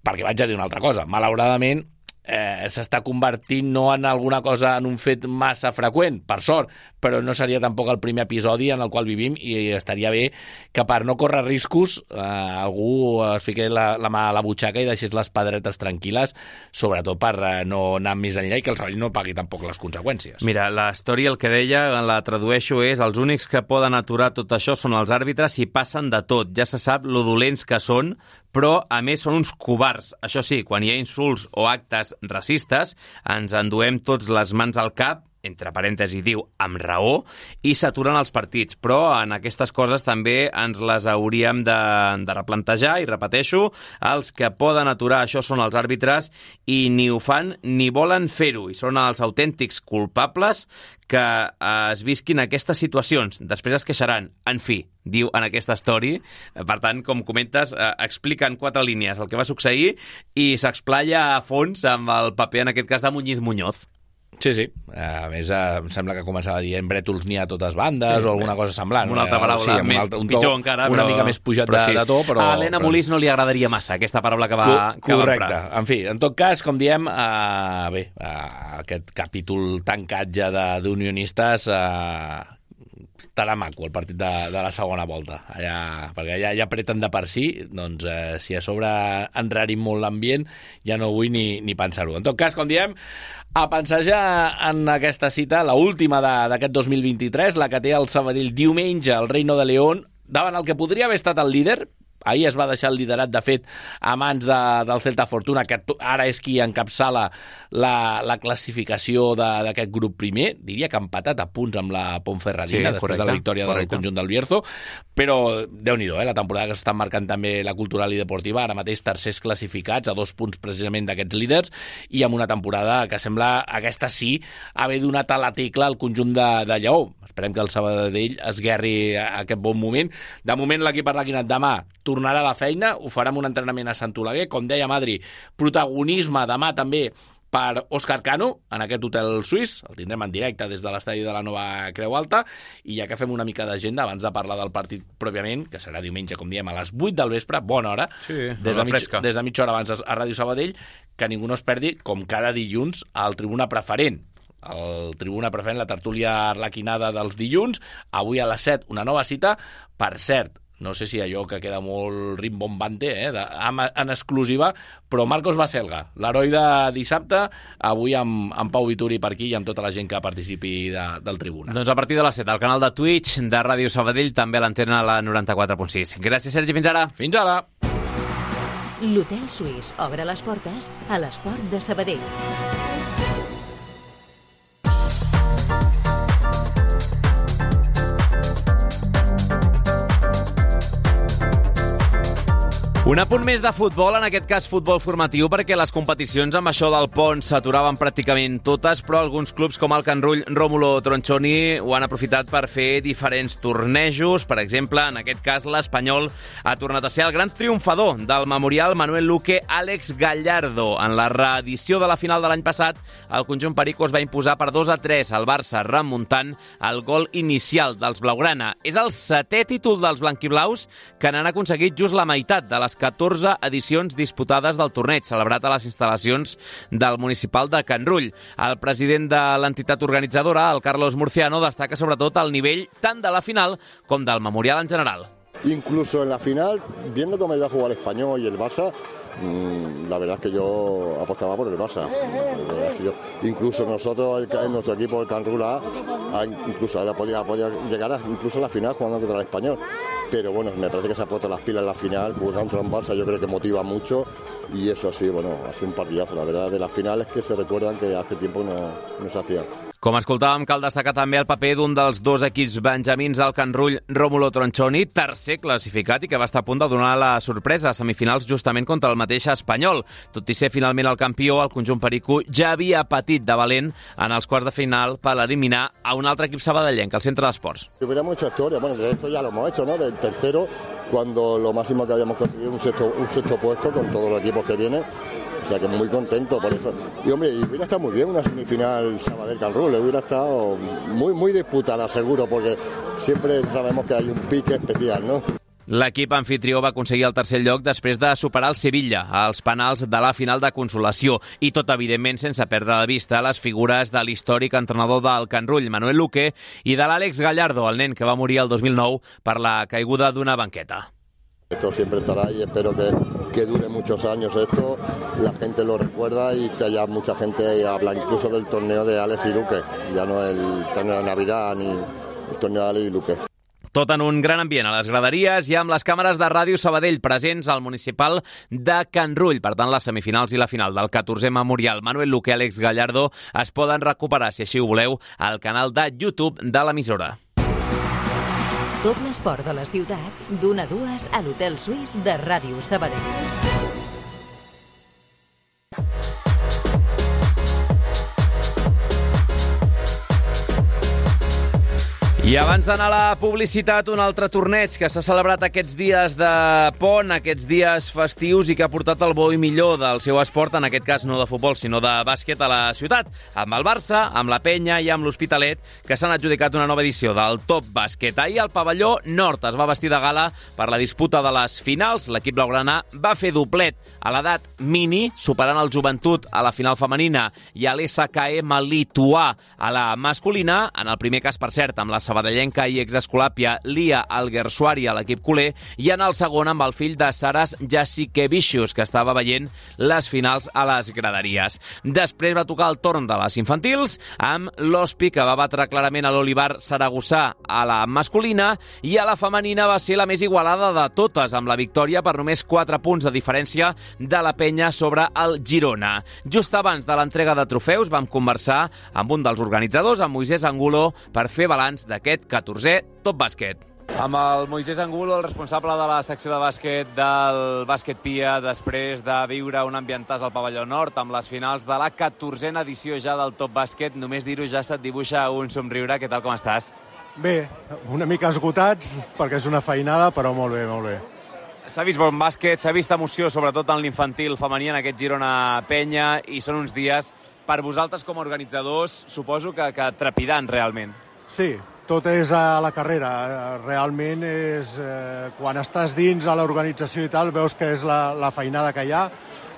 perquè vaig a dir una altra cosa. Malauradament, s'està convertint no en alguna cosa, en un fet massa freqüent, per sort, però no seria tampoc el primer episodi en el qual vivim i estaria bé que per no córrer riscos algú es fiqués la mà a la butxaca i deixés les pedretes tranquil·les, sobretot per no anar més enllà i que el Sabadell no pagui tampoc les conseqüències. Mira, la història, el que deia, la tradueixo, és els únics que poden aturar tot això són els àrbitres i passen de tot. Ja se sap lo dolents que són, però, a més, són uns covards. Això sí, quan hi ha insults o actes racistes, ens enduem tots les mans al cap, entre parèntesis diu, amb raó, i s'aturen els partits. Però en aquestes coses també ens les hauríem de replantejar, i repeteixo, els que poden aturar això són els àrbitres i ni ho fan ni volen fer-ho, i són els autèntics culpables que es visquin aquestes situacions. Després es queixaran. En fi, diu en aquesta story. Per tant, com comentes, explica en 4 línies el que va succeir i s'explaya a fons amb el paper, en aquest cas, de Muñiz Muñoz. Sí, sí. A més, em sembla que començava a dir brètols n'hi ha a totes bandes, o alguna cosa semblant. Una altra paraula, pitjor encara. Una mica més pujat de to, però... A Helena Molís no li agradaria massa aquesta paraula que va correcte. En fi, en tot cas, com diem, aquest capítol tancat ja d'unionistes estarà maco el partit de la segona volta, perquè ja apreten de per si, doncs si a sobre enrarim molt l'ambient ja no vull ni pensar-ho. En tot cas, com diem, a pensar ja en aquesta cita, l'última d'aquest 2023, la que té el Sabadell diumenge al Reino de León, davant el que podria haver estat el líder. Ahir es va deixar el liderat, de fet, a mans del Celta Fortuna, que ara és qui encapçala la classificació d'aquest grup primer. Diria que ha empatat a punts amb la Ponferradina, després de la victòria del conjunt del Bierzo. Però, Déu-n'hi-do, la temporada que s'estan marcant també la Cultural i Deportiva, ara mateix tercers classificats, a 2 punts precisament d'aquests líders, i amb una temporada que sembla, aquesta sí, haver donat a la tecla al conjunt de Lleó. Esperem que el Sabadell esguerri aquest bon moment. De moment, l'equip arlequinat demà tornarà a la feina, ho farà amb un entrenament a Sant Oleguer. Com deia Madri, protagonisme demà també per Òscar Cano, en aquest hotel suís. El tindrem en directe des de l'estadi de la Nova Creu Alta. I ja que fem una mica d'agenda, abans de parlar del partit pròpiament, que serà diumenge, com diem, a les 8 del vespre, bona hora, des de mitja hora abans a Ràdio Sabadell, que ningú no es perdi, com cada dilluns, al Tribuna Preferent. El Tribuna Preferent, la tertúlia arlequinada dels dilluns. Avui a les 7, una nova cita. Per cert, no sé si allò que queda molt rimbombante, en exclusiva, però Marcos Baselga, l'heroi de dissabte, avui amb Pau Vituri per aquí i amb tota la gent que participi del Tribuna. Doncs a partir de les 7, al canal de Twitch de Ràdio Sabadell, també a l'antena a la 94.6. Gràcies, Sergi, fins ara. Fins ara. L'Hotel Suís obre les portes a l'esport de Sabadell. Un apunt més de futbol, en aquest cas futbol formatiu, perquè les competicions amb això del pont s'aturaven pràcticament totes, però alguns clubs com el Can Rull Rómulo Tronchoni ho han aprofitat per fer diferents tornejos. Per exemple, en aquest cas l'Espanyol ha tornat a ser el gran triomfador del Memorial Manuel Luque Àlex Gallardo. En la reedició de la final de l'any passat, el conjunt perico es va imposar per 2-3 al Barça, remuntant el gol inicial dels blaugrana. És el 7è títol dels blanquiblaus, que n'han aconseguit just la meitat de les 14 edicions disputades del torneig, celebrat a les instal·lacions del municipal de Can Rull. El president de l'entitat organitzadora, el Carlos Murciano, destaca sobretot el nivell tant de la final com del Memorial en general. Incluso en la final, viendo cómo iba a jugar el Español y el Barça, la verdad es que yo apostaba por el Barça. Incluso nosotros, en nuestro equipo, el Can Rull incluso podía llegar incluso a la final jugando contra el Español. Pero bueno, me parece que se ha puesto las pilas en la final, jugar contra un Barça yo creo que motiva mucho y eso sí, bueno, ha sido un partidazo, la verdad, de las finales que se recuerdan que hace tiempo no se hacían. Com escoltàvem, cal destacar també el paper d'un dels 2 equips benjamins del Can Rull, Rómulo Tronchoni, tercer classificat i que va estar a punt de donar la sorpresa a semifinals justament contra el mateix Espanyol. Tot i ser finalment el campió, el conjunt perico ja havia patit de valent en els quarts de final per eliminar a un altre equip sabadellenc, el Centre d'Esports. Hubiéramos hecho historia, bueno, de esto ya lo hemos hecho, ¿no? Del tercero, cuando lo máximo que habíamos conseguido un sexto puesto con todos los equipos que vienen. O sea que muy contento por eso. Y hombre, hubiera estado muy bien una semifinal Sabadell-Can Rull, hubiera estado muy disputada seguro, porque siempre sabemos que hay un pique especial, ¿no? L'equip anfitrió va aconseguir el tercer lloc després de superar el Sevilla als penals de la final de consolació i tot, evidentment, sense perdre de vista les figures de l'històric entrenador del Can Rull, Manuel Luque, i de l'Àlex Gallardo, el nen que va morir el 2009 per la caiguda d'una banqueta. Esto siempre estará y espero que dure muchos años esto, la gente lo recuerda y que haya mucha gente habla incluso del torneo de Alex y Luque, ya no el torneo de Navidad ni el torneo de Alex y Luque. Tot en un gran ambient a les graderies i amb les càmeres de Ràdio Sabadell presents al municipal de Can Rull. Per tant, les semifinals i la final del 14è Memorial Manuel Luque i Àlex Gallardo es poden recuperar, si així ho voleu, al canal de YouTube de l'emissora. Tot l'esport de la ciutat, d'1 a 2 a l'Hotel Suís de Ràdio Sabadell. I abans d'anar a la publicitat, un altre torneig que s'ha celebrat aquests dies de pont, aquests dies festius i que ha portat el bo i millor del seu esport, en aquest cas no de futbol, sinó de bàsquet a la ciutat, amb el Barça, amb la Penya i amb l'Hospitalet, que s'han adjudicat una nova edició del Top Bàsquet. Ahir el pavelló nord es va vestir de gala per la disputa de les finals. L'equip blaugrana va fer doblet a l'edat mini, superant el Joventut a la final femenina i a l'SKM lituà a la masculina, en el primer cas, per cert, amb la sabadellenca i exescolàpia Lia Alguersuari a l'equip culer, i en el segon amb el fill de Saras Jasikevicius, que estava veient les finals a les graderies. Després va tocar el torn de les infantils, amb l'Hospi, que va batre clarament a l'Olivar Saragossà a la masculina, i a la femenina va ser la més igualada de totes, amb la victòria per només 4 punts de diferència de la Penya sobre el Girona. Just abans de l'entrega de trofeus vam conversar amb un dels organitzadors, amb Moisés Angulo, per fer balanç d'aquest 14è Top Bàsquet. Amb el Moisés Angulo, el responsable de la secció de bàsquet del Bàsquet Pia, després de viure un ambientàs al pavelló nord amb les finals de la 14a edició ja del Top Bàsquet. Només dir-ho ja se't dibuixa un somriure. Què tal, com estàs? Bé, una mica esgotats, perquè és una feinada, però molt bé, molt bé. S'ha vist bon bàsquet, s'ha vist emoció, sobretot en l'infantil femení, en aquest Girona Penya, i són uns dies, per vosaltres com a organitzadors, suposo que trepidant realment. Sí, tot és a la carrera. Realment és... quan estàs dins a l'organització i tal, veus que és la feinada que hi ha,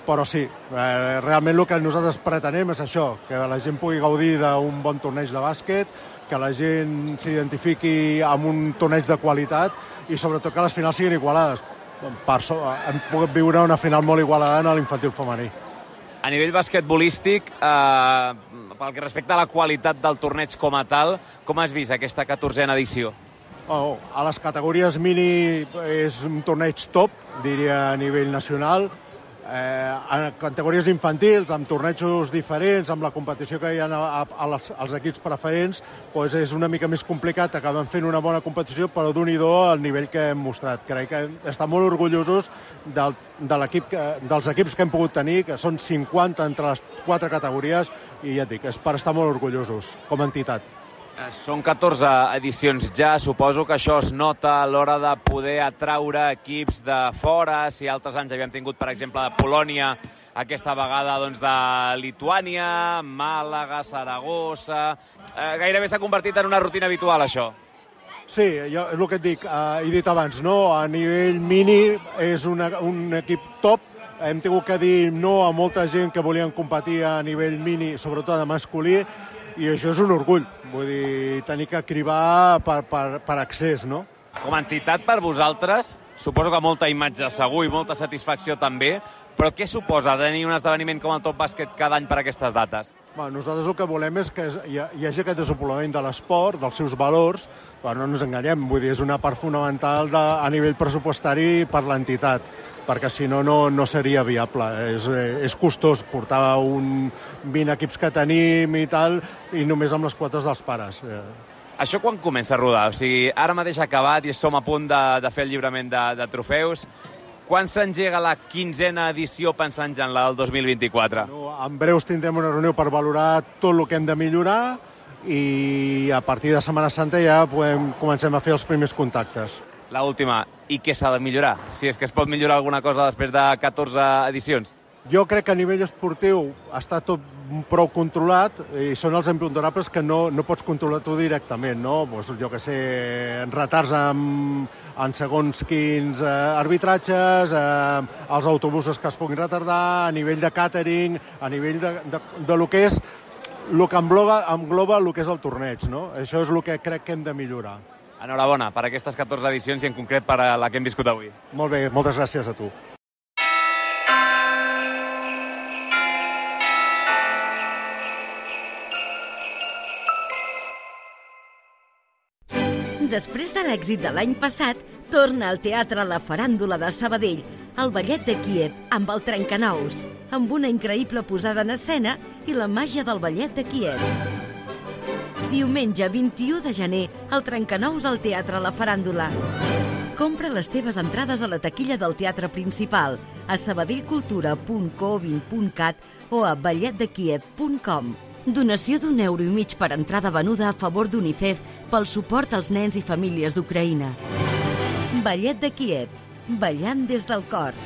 però sí, realment el que nosaltres pretenem és això, que la gent pugui gaudir d'un bon torneig de bàsquet, que la gent s'identifiqui amb un torneig de qualitat i sobretot que les finals siguin igualades. Hem pogut viure una final molt igualada en l'infantil femení. A nivell basquetbolístic, pel que respecta a la qualitat del torneig com a tal, com has vist aquesta 14a edició? A les categories mini és un torneig top, diria a nivell nacional. En categories infantils, amb tornejos diferents, amb la competició que hi ha als equips preferents, doncs és una mica més complicat. Acabem fent una bona competició, però d'un-i-do al nivell que hem mostrat. Crec que estem molt orgullosos dels equips que hem pogut tenir, que són 50 entre les 4 categories, i ja et dic, és per estar molt orgullosos com a entitat. Són 14 edicions ja, suposo que això es nota a l'hora de poder atraure equips de fora. Si altres anys havíem tingut, per exemple, de Polònia, aquesta vegada doncs, de Lituània, Màlaga, Saragossa... Gairebé s'ha convertit en una rutina habitual, això. Sí, és el que et dic, he dit abans, no? A nivell mini és un equip top. Hem tingut que dir no a molta gent que volien competir a nivell mini, sobretot de masculí, i això és un orgull, vull dir, tenir que cribar per accés, no? Com a entitat per vosaltres, suposo que molta imatge segur i molta satisfacció també, però què suposa tenir un esdeveniment com el Top Bàsquet cada any per aquestes dates? Nosaltres el que volem és que hi hagi aquest desenvolupament de l'esport, dels seus valors, però no ens enganyem, vull dir, és una part fonamental a nivell pressupostari per l'entitat, perquè si no, no seria viable. És costós portar 20 equips que tenim i tal, i només amb les quotes dels pares. Això quan comença a rodar? O sigui, ara mateix ha acabat i som a punt de fer el lliurament de trofeus. Quan s'engega la 15a edició pensant ja en la del 2024? En breus tindrem una reunió per valorar tot el que hem de millorar i a partir de Setmana Santa ja comencem a fer els primers contactes. La última, i què s'ha de millorar? Si és que es pot millorar alguna cosa després de 14 edicions? Jo crec que a nivell esportiu està tot prou controlat i són els imponderables que no pots controlar tu directament, no? Pues, jo què sé, retards en segons quins arbitratges, els autobusos que es puguin retardar, a nivell de càtering, a nivell de lo que és, el que engloba el que és el torneig, no? Això és el que crec que hem de millorar. Enhorabona per aquestes 14 edicions i en concret per la que hem viscut avui. Molt bé, moltes gràcies a tu. Després de l'èxit de l'any passat, torna al Teatre La Faràndula de Sabadell, el Ballet de Kíev, amb el Trencanous, amb una increïble posada en escena i la màgia del Ballet de Kíev. Diumenge 21 de gener, el Trencanous al Teatre La Faràndula. Compra les teves entrades a la taquilla del teatre principal, a sabadellcultura.co20.cat o a balletdekiev.com. Donació d'1,5 € per entrada venuda a favor d'UNICEF pel suport als nens i famílies d'Ucraïna. Ballet de Kíev, ballant des del cor.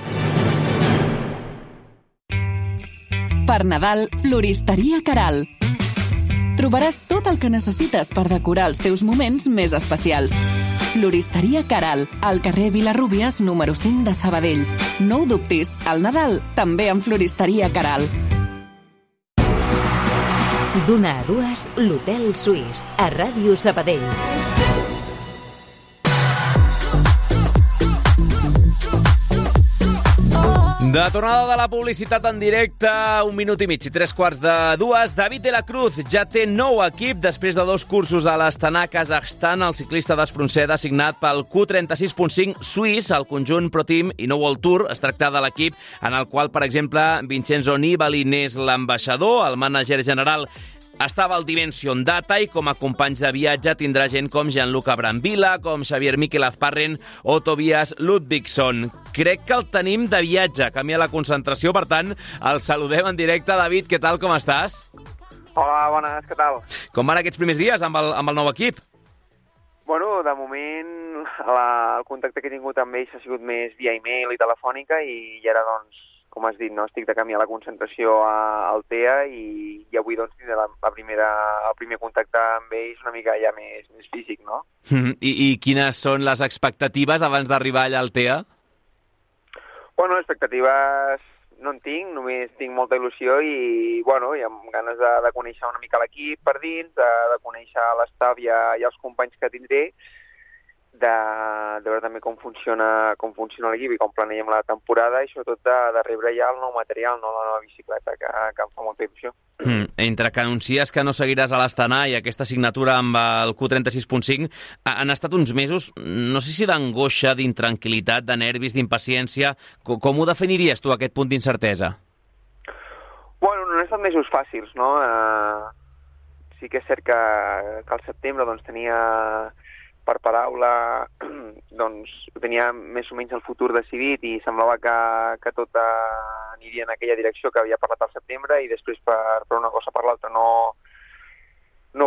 Per Nadal, Floristeria Caral. Trobaràs tot el que necessites per decorar els teus moments més especials. Floristeria Caral, al carrer Vilarrúbies, número 5 de Sabadell. No ho dubtis, al Nadal també amb Floristeria Caral. D'una a dues, l'Hotel Suís, a Ràdio Sabadell. De tornada de la publicitat en directe, 1 minut i mig i 3:45. David de la Cruz ja té nou equip després de 2 cursos a l'Astana, Kazakhstan. El ciclista d'Espronceda designat pel Q36.5 suís, el conjunt Pro Team i no World Tour. Es tracta de l'equip en el qual, per exemple, Vincenzo Nibali n'és l'ambaixador, el mànager general estava al Dimension Data i com a companys de viatge tindrà gent com Gianluca Brambilla, com Xavier Miquel Azparren o Tobias Ludvigsson. Crec que el tenim de viatge, camí a la concentració, per tant, el saludem en directe. David, què tal, com estàs? Hola, bones, què tal? Com van aquests primers dies amb el nou equip? Bueno, de moment el contacte que he tingut amb ells ha sigut més via e-mail i telefònica i ara, doncs, com has dit, no? Estic de camí a la concentració al TEA i avui doncs tindré el primer contacte amb ells una mica ja més físic, no? I quines són les expectatives abans d'arribar allà al TEA? Bueno, expectatives no en tinc, només tinc molta il·lusió i, bueno, hi ha ganes de conèixer una mica l'equip per dins, de conèixer l'estaf i els companys que tindré, de veure també com funciona l'equip i com planeem la temporada i sobretot de rebre ja el nou material, no? La nova bicicleta, que em fa molta il·lusió. Entre que anuncies que no seguiràs a l'Astana i aquesta signatura amb el Q36.5, han estat uns mesos, no sé si d'angoixa, d'intranquil·litat, de nervis, d'impaciència. Com ho definiries tu, aquest punt d'incertesa? Bueno, no han estat mesos fàcils, no? Sí que és cert que al setembre doncs, tenia per paraula, doncs tenia més o menys el futur decidit i semblava que tot aniria en aquella direcció que havia parlat al setembre i després per una cosa per l'altra no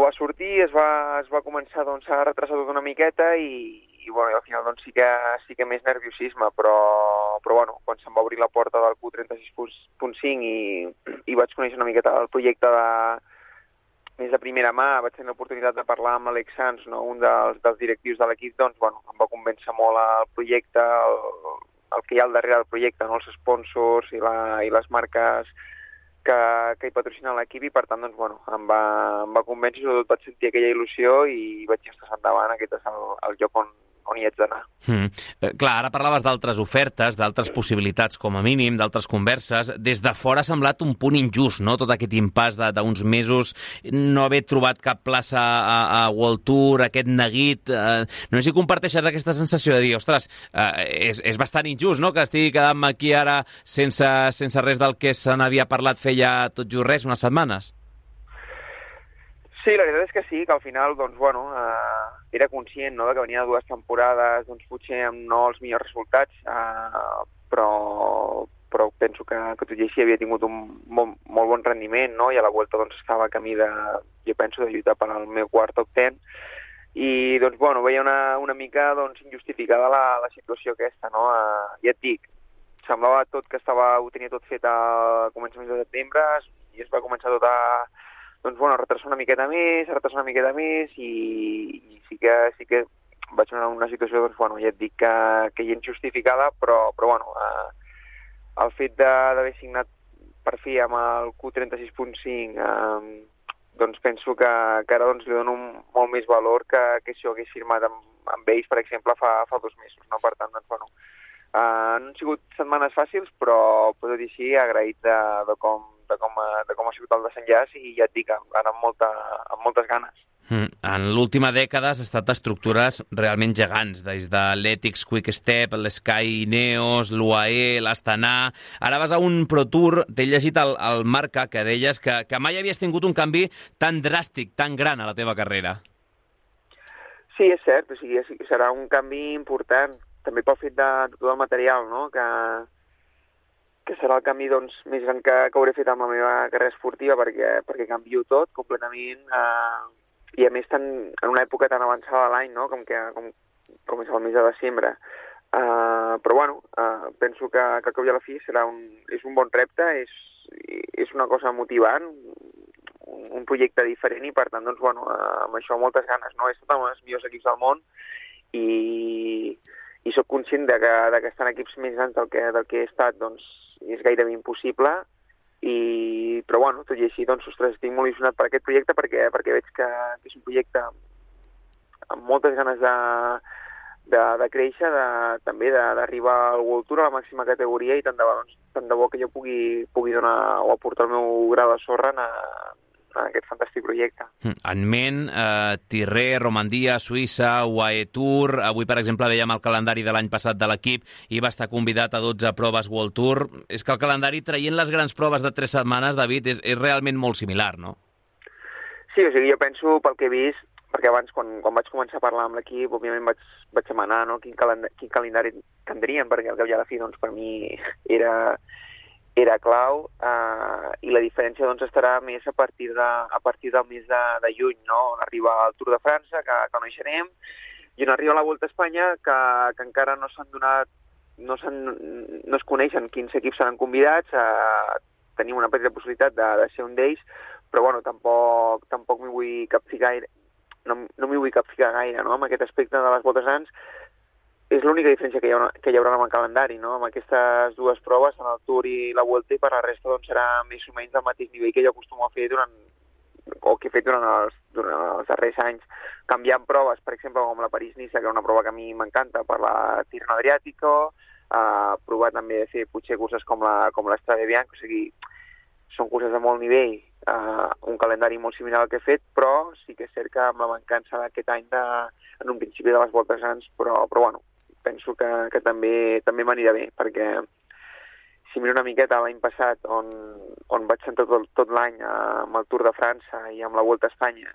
va sortir, es va començar doncs, a retrasar tot una miqueta i bueno, al final doncs, sí que més nerviosisme, però bueno, quan se'm va obrir la porta del Q36.5 i vaig conèixer una miqueta el projecte més de primera mà, vaig tenir l'oportunitat de parlar amb l'Alex Sanz, no? Un dels directius de l'equip, doncs, bueno, em va convèncer molt el projecte, el que hi ha al darrere del projecte, no? Els sponsors i les marques que hi patrocinen l'equip i, per tant, doncs, bueno, em va convèncer, sobretot vaig sentir aquella il·lusió i vaig estar endavant, aquest és el lloc on hi haig d'anar. Clar, ara parlaves d'altres ofertes, d'altres possibilitats com a mínim, d'altres converses. Des de fora ha semblat un punt injust, no?, tot aquest impàs d'uns mesos, no haver trobat cap plaça a World Tour, aquest neguit. No sé si comparteixes aquesta sensació de dir, ostres, és bastant injust, no?, que estigui quedant-me aquí ara sense res del que se n'havia parlat feia tot just res, unes setmanes. Sí, la veritat és que sí, que al final, doncs, bueno, era conscient, no?, que venia de 2 temporades, doncs, potser amb no els millors resultats, però penso que tot i així havia tingut un molt bon rendiment, no?, i a la Vuelta, doncs, estava a camí jo penso, de lluitar per al meu quart top 10, i, doncs, bueno, veia una mica, doncs, injustificada la situació aquesta, no?, ja et dic, semblava tot que ho tenia tot fet a començaments de setembre i es va començar tot a retrasar una miqueta més i sí que vaig veure una situació, ja et dic que gens justificada, però el fet d'haver signat per fi amb el Q36.5 penso que ara li dono molt més valor que si ho hagués firmat amb ells, per exemple, fa 2 mesos, no? Per tant, no han sigut setmanes fàcils, però podeu dir així, agraït de com ha sigut el desenllaç i ja et dic, ara amb moltes ganes. En l'última dècada has estat estructures realment gegants, des de l'Ethics Quick Step, l'Sky Ineos, l'UAE, l'Astana... Ara vas a un Pro Tour, t'he llegit al Marca, que deies que mai havies tingut un canvi tan dràstic, tan gran a la teva carrera. Sí, és cert, o sigui, serà un canvi important, també pel fet de tot el material, no?, que serà el canvi més gran que hauré fet amb la meva carrera esportiva perquè canvio tot completament i a més en una època tan avançada de l'any, no?, com és el mes de desembre. Però penso que al cap i a la fi és un bon repte, és una cosa motivant, un projecte diferent i per tant, amb això moltes ganes, no? He estat amb els millors equips del món i soc conscient que estar en equips més grans del que he estat, és gairebé impossible, però tot i així, ostres, estic molt il·lusionat per aquest projecte perquè veig que és un projecte amb moltes ganes de créixer, també d'arribar al World Tour a la màxima categoria i tant de bo que jo pugui donar o aportar el meu gra de sorra en aquest fantàstic projecte. En ment, Tirré, Romandia, Suïssa, UAE Tour... Avui, per exemple, veiem el calendari de l'any passat de l'equip i va estar convidat a 12 proves World Tour. És que el calendari, traient les grans proves de 3 setmanes, David, és realment molt similar, no? Sí, o sigui, jo penso, pel que he vist, perquè abans, quan vaig començar a parlar amb l'equip, òbviament vaig demanar, no?, quin calendari tindrien, perquè al cap i a la fi, per mi era clau, i la diferència estarà més a partir del mes de juny, no? On arriba el Tour de França, que coneixerem, i on arriba la Volta a Espanya, que encara no es coneixen quins equips seran convidats, tenim una petita possibilitat de ser un d'ells, però tampoc m'hi vull capficar gaire, no m'hi vull capficar gaire, no?, amb aquest aspecte de les Voltes grans. És l'única diferència que hi haurà amb el calendari, no? Amb aquestes 2 proves, tant el Tour i la Vuelta, i per la resta serà més o menys del mateix nivell que jo acostumo a fer que he fet durant els darrers anys, canviant proves, per exemple, com la París-Niça, que és una prova que a mi m'encanta, per la Tirreno Adriàtico, provar també de fer potser curses com l'Strade Bianche, o sigui, són curses de molt nivell, un calendari molt similar al que he fet, però sí que és cert que amb la mancança d'aquest any en un principi de les Voltes grans, però penso que també m'anirà bé, perquè si miro una miqueta l'any passat, on vaig sentar tot l'any amb el Tour de França i amb la Volta a Espanya,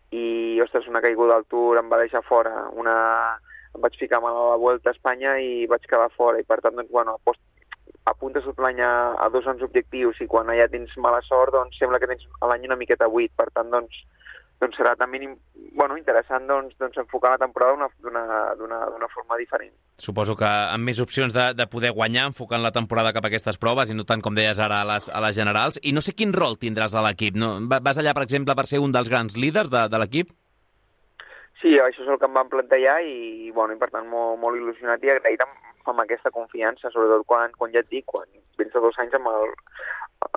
i, ostres, una caiguda al Tour em va deixar fora, em vaig ficar mal a la Volta a Espanya i vaig quedar fora, i per tant, apuntes tot l'any a 2 grans objectius, i quan ja tens mala sort, sembla que tens l'any una miqueta buit, per tant, serà també interessant enfocar la temporada d'una forma diferent. Suposo que amb més opcions de poder guanyar, enfocant la temporada cap a aquestes proves i no tant, com deies ara, a les generals. I no sé quin rol tindràs a l'equip. No? Vas allà, per exemple, per ser un dels grans líders de l'equip? Sí, això és el que em van plantejar i per tant, molt il·lusionat i agraït amb aquesta confiança, sobretot quan ja et dic, quan vens de 2 anys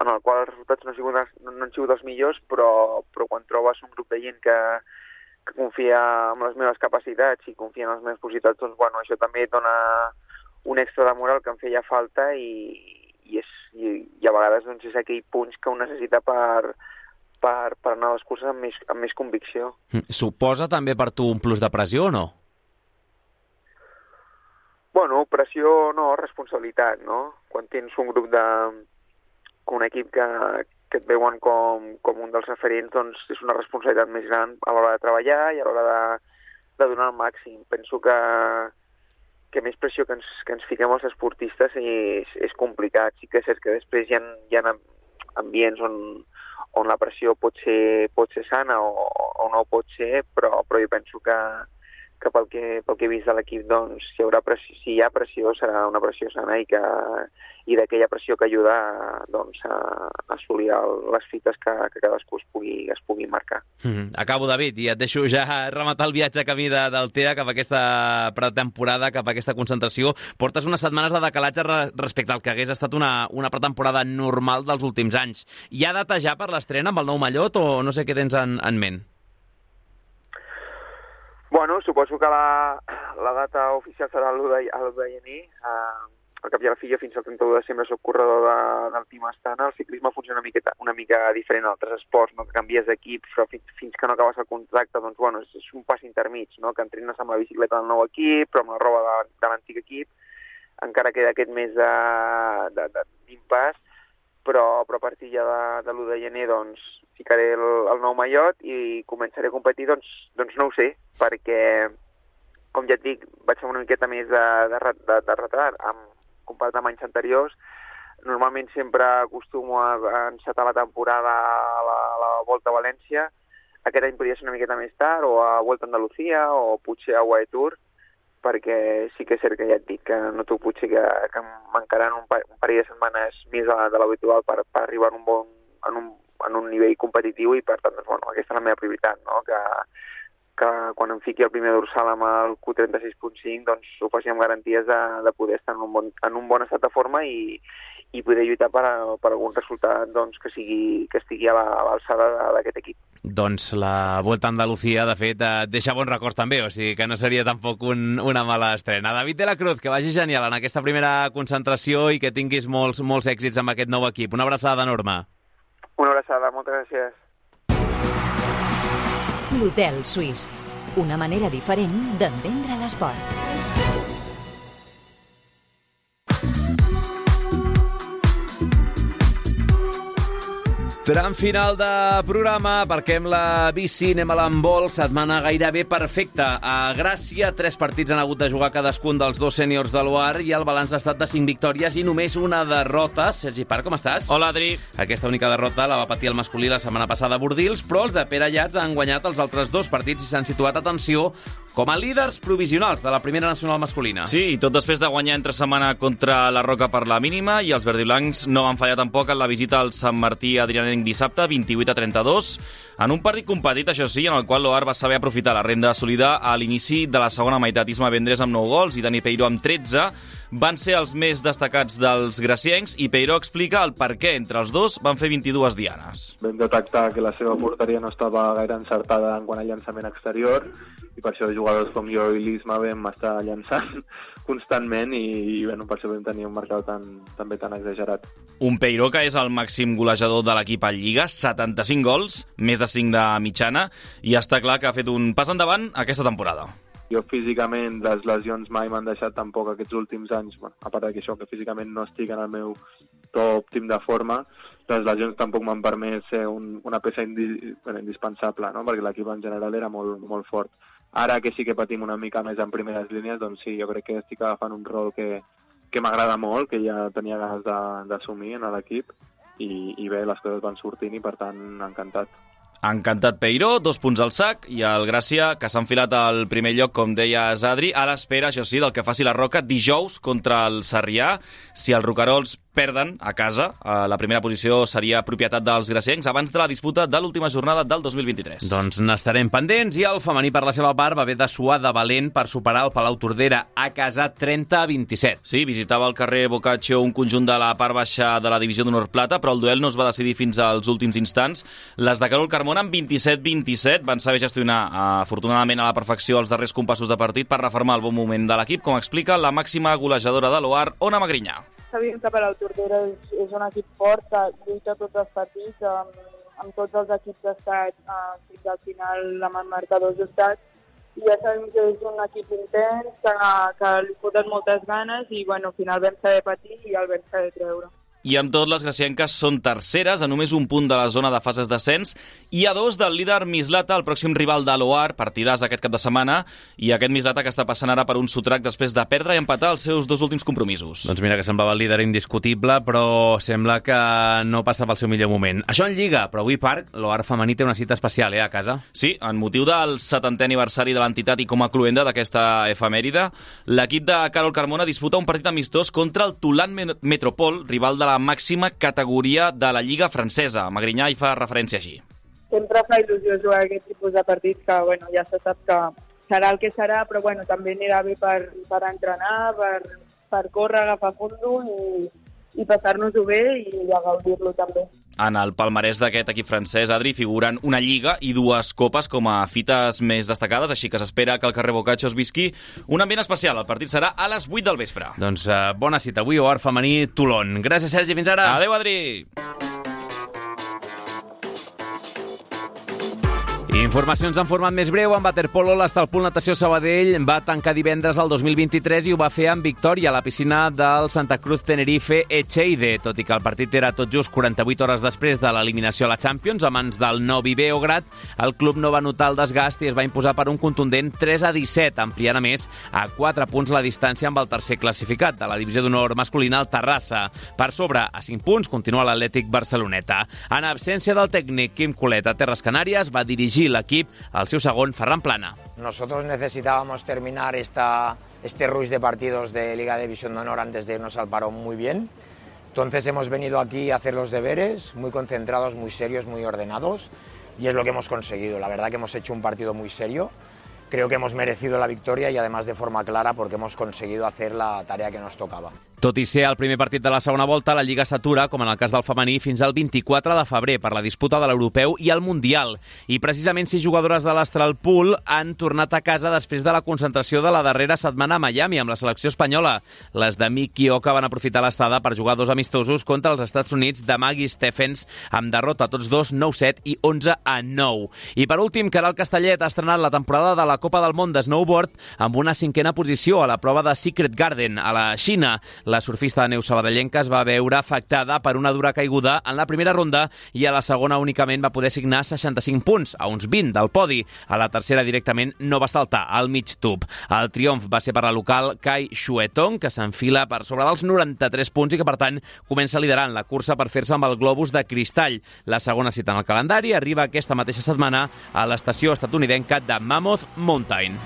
en el qual els resultats no han sigut els millors, però quan trobes un grup de gent que confia en les meves capacitats i confia en les meves possibilitats, això també et dona un extra de moral que em feia falta i a vegades és aquell punx que un necessita per anar a les curses amb més convicció. Suposa també per tu un plus de pressió o no? Pressió no, responsabilitat, no? Quan tens un grup un equip que et veuen com un dels referents, és una responsabilitat més gran a l'hora de treballar i a l'hora de donar el màxim. Penso que més pressió que ens fiquem els esportistes és complicat. Sí que és cert que després hi ha ambients on la pressió pot ser sana o no pot ser, però jo penso que que pel que he vist de l'equip, doncs, si hi ha pressió, serà una pressió sana i d'aquella pressió que ajuda doncs, a assolir les fites que cadascú es pugui marcar. Acabo, David, i et deixo ja rematar el viatge camí del TEA cap a aquesta pretemporada, cap a aquesta concentració. Portes unes setmanes de decalatge respecte al que hagués estat una pretemporada normal dels últims anys. Hi ha data ja per l'estrena amb el nou mallot o no sé què tens en ment? Bueno, suposo que la data oficial serà l'1 de gener. Al cap i a la fi, jo fins al 31 de desembre soc corredor del Team Astana. El ciclisme funciona una mica diferent a altres esports, no? Que canvies d'equip, però fins que no acabes el contracte, doncs, bueno, és un pas intermig, no? Que entrenes amb la bicicleta del nou equip, però amb la roba de l'antic equip. Encara queda aquest mes d'impàs, però a partir ja de l'1 de gener, doncs, ficaré el nou mallot i començaré a competir, doncs no ho sé, perquè, com ja et dic, vaig fer una miqueta més de retard comparat amb anys anteriors. Normalment sempre acostumo a encetar la temporada a la Volta a València. Aquest any podria ser una miqueta més tard, o a Volta a Andalucía, o potser a UAE Tour, perquè sí que és cert que ja et dic que noto potser que mancaran un parell de setmanes més de l'habitual per arribar en un nivell competitiu i, per tant, doncs, bueno, aquesta és la meva prioritat, no? Que quan em fiqui el primer dorsal amb el Q36.5 doncs ho faci amb garanties de poder estar en un bon estat de forma i poder lluitar per algun resultat doncs, que estigui a l'alçada d'aquest equip. Doncs la Volta a Andalucía, de fet, deixa bons records també, o sigui que no seria tampoc una mala estrena. David de la Cruz, que vagi genial en aquesta primera concentració i que tinguis molts èxits amb aquest nou equip. Una abraçada enorme. Una abraçada, moltes gràcies. L'Hotel Suís, una manera diferent d'entendre l'esport. Tram final de programa, aparquem la bici, anem a l'handbol, setmana gairebé perfecta. A Gràcia, 3 partits han hagut de jugar cadascun dels 2 sèniors de l'OAR i el balanç ha estat de 5 victòries i només una derrota. Sergi Parc, com estàs? Hola, Adri. Aquesta única derrota la va patir el masculí la setmana passada a Bordils, però els de Pere Llats han guanyat els altres 2 partits i s'han situat, atenció, com a líders provisionals de la primera nacional masculina. Sí, i tot després de guanyar entre setmana contra la Roca per la mínima, i els verdiblancs no van fallar tampoc en la visita al Sant Martí Adrianenc dissabte, 28-32, en un partit competit, això sí, en el qual l'OAR va saber aprofitar la renda assolida a l'inici de la segona meitat. Isma Vendres amb 9 gols i Dani Peiró amb 13 van ser els més destacats dels graciencs, i Peiró explica el per què entre els dos van fer 22 dianes. Vam detectar que la seva porteria no estava gaire encertada en quant a llançament exterior, i per això jugadors com jo i l'Isma vam estar llançant constantment i bueno, per això vam tenir un marcador també tan exagerat. Un Peiró que és el màxim golejador de l'equip a Lliga, 75 gols, més de 5 de mitjana, i està clar que ha fet un pas endavant aquesta temporada. Jo físicament, les lesions mai m'han deixat tampoc aquests últims anys, bueno, a part d'això que físicament no estic en el meu top òptim de forma, les lesions tampoc m'han permès ser una peça indispensable, no? Perquè l'equip en general era molt, molt fort. Ara que sí que patim una mica més en primeres línies, doncs sí, jo crec que estic agafant un rol que m'agrada molt, que ja tenia ganes d'assumir en l'equip, i bé, les coses van sortint i per tant encantat. Encantat Peiró, 2 punts al sac, i el Gràcia, que s'ha enfilat al primer lloc, com deies, Adri, a l'espera, això sí, del que faci la Roca dijous contra el Sarrià. Si els roquerols perden a casa, la primera posició seria propietat dels graciencs abans de la disputa de l'última jornada del 2023. Doncs n'estarem pendents, i el femení, per la seva part, va haver de suar de valent per superar el Palau Tordera a casa 30-27. Sí, visitava el carrer Boccaccio un conjunt de la part baixa de la divisió d'honor plata, però el duel no es va decidir fins als últims instants. Les de Carol Carmona amb 27-27 van saber gestionar afortunadament a la perfecció els darrers compassos de partit per reformar el bon moment de l'equip, com explica la màxima golejadora de l'OAR, Ona Magrinyà. Sabíem que Palau Tordera és un equip fort, que lluita tots els partits, amb tots els equips d'estat fins al final amb marcadors d'estat, i ja sabem que és un equip intens, que li foten moltes ganes, i bueno, al final vam saber patir i el vam saber treure. i amb tot les gracienques són terceres, a només un punt de la zona de fases d'ascens, i a 2 del líder Mislata, el pròxim rival de l'Oar, partidàs aquest cap de setmana, i aquest Mislata que està passant ara per un sotrac després de perdre i empatar els seus 2 últims compromisos. Doncs mira que semblava el líder indiscutible, però sembla que no passa pel seu millor moment. Això en Lliga, però avui Parc, l'Oar femení té una cita especial, a casa. Sí, en motiu del 70è aniversari de l'entitat i com a cluenda d'aquesta efemèride, l'equip de Carol Carmona disputa un partit amistós contra el Toulon Metropol, rival de la màxima categoria de la Lliga francesa. Magrinyà hi fa referència així. Sempre fa il·lusió jugar aquest tipus de partits que, ja se sap que serà el que serà, però també anirà bé per entrenar, per córrer, agafar fondo i passar-nos-ho bé i a gaudir-lo també. En el palmarès d'aquest equip francès, Adri, figuren una Lliga i 2 copes com a fites més destacades, així que s'espera que el carrer Boccaccio es visqui un ambient especial. El partit serà a les 8 del vespre. Doncs bona cita avui, Oar femení Toulon. Gràcies, Sergi, fins ara. Adéu, Adri. Informacions en format més breu. En waterpolo, l'Estalpol Natació Sabadell va tancar divendres el 2023 i ho va fer amb victòria a la piscina del Santa Cruz Tenerife Echeide, tot i que el partit era tot just 48 hores després de l'eliminació a la Champions a mans del Novi Beograd. El club no va notar el desgast i es va imposar per un contundent 3-17, ampliant a més a 4 punts la distància amb el tercer classificat de la divisió d'honor masculina, el Terrassa. Per sobre, a 5 punts, continua l'Atlètic Barceloneta. En absència del tècnic Quim Colet a Terres Canàries, va dirigir l'equip al seu segon, Ferran Plana. Nosotros necesitábamos terminar este rush de partidos de Liga de División de Honor antes de irnos al parón muy bien. Entonces hemos venido aquí a hacer los deberes, muy concentrados, muy serios, muy ordenados, y es lo que hemos conseguido. La verdad que hemos hecho un partido muy serio. Creo que hemos merecido la victoria y además de forma clara porque hemos conseguido hacer la tarea que nos tocaba. Tot i ser el primer partit de la segona volta, la Lliga s'atura, com en el cas del femení, fins al 24 de febrer per la disputa de l'Europeu i el Mundial. I precisament 6 jugadores de l'Astralpool han tornat a casa després de la concentració de la darrera setmana a Miami amb la selecció espanyola. Les de Miki Oka van aprofitar l'estada per jugar 2 amistosos contra els Estats Units de Maggie Stephens, amb derrota tots dos 9-7 i 11-9. I per últim, Caral Castellet ha estrenat la temporada de la Copa del Món de Snowboard amb una 5a posició a la prova de Secret Garden a la Xina. La surfista de neu sabadellenca es va veure afectada per una dura caiguda en la primera ronda i a la segona únicament va poder signar 65 punts, a uns 20 del podi. A la tercera directament no va saltar al mig tub. El triomf va ser per la local Kai Shuetong, que s'enfila per sobre dels 93 punts i que, per tant, comença liderant la cursa per fer-se amb el globus de cristall. La segona cita en el calendari arriba aquesta mateixa setmana a l'estació estatunidenca de Mammoth Mountain.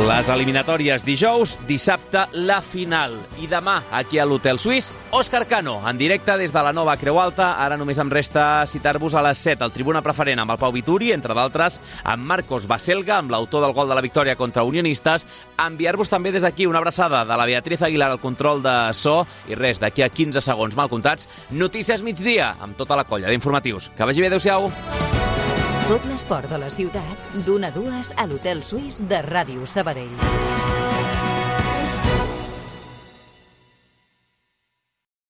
Les eliminatòries dijous, dissabte la final. I demà, aquí a l'Hotel Suís, Òscar Cano, en directe des de la nova Creu Alta. Ara només em resta citar-vos a les 7 al Tribuna Preferent amb el Pau Vituri, entre d'altres amb Marcos Baselga, amb l'autor del gol de la victòria contra Unionistes. Enviar-vos també des d'aquí una abraçada de la Beatriz Aguilar al control de so. I res, d'aquí a 15 segons mal comptats, Notícies Migdia, amb tota la colla d'informatius. Que vagi bé, adéu-siau. Tot l'esport de la ciutat, d'1 a 2 a l'Hotel Suís de Ràdio Sabadell.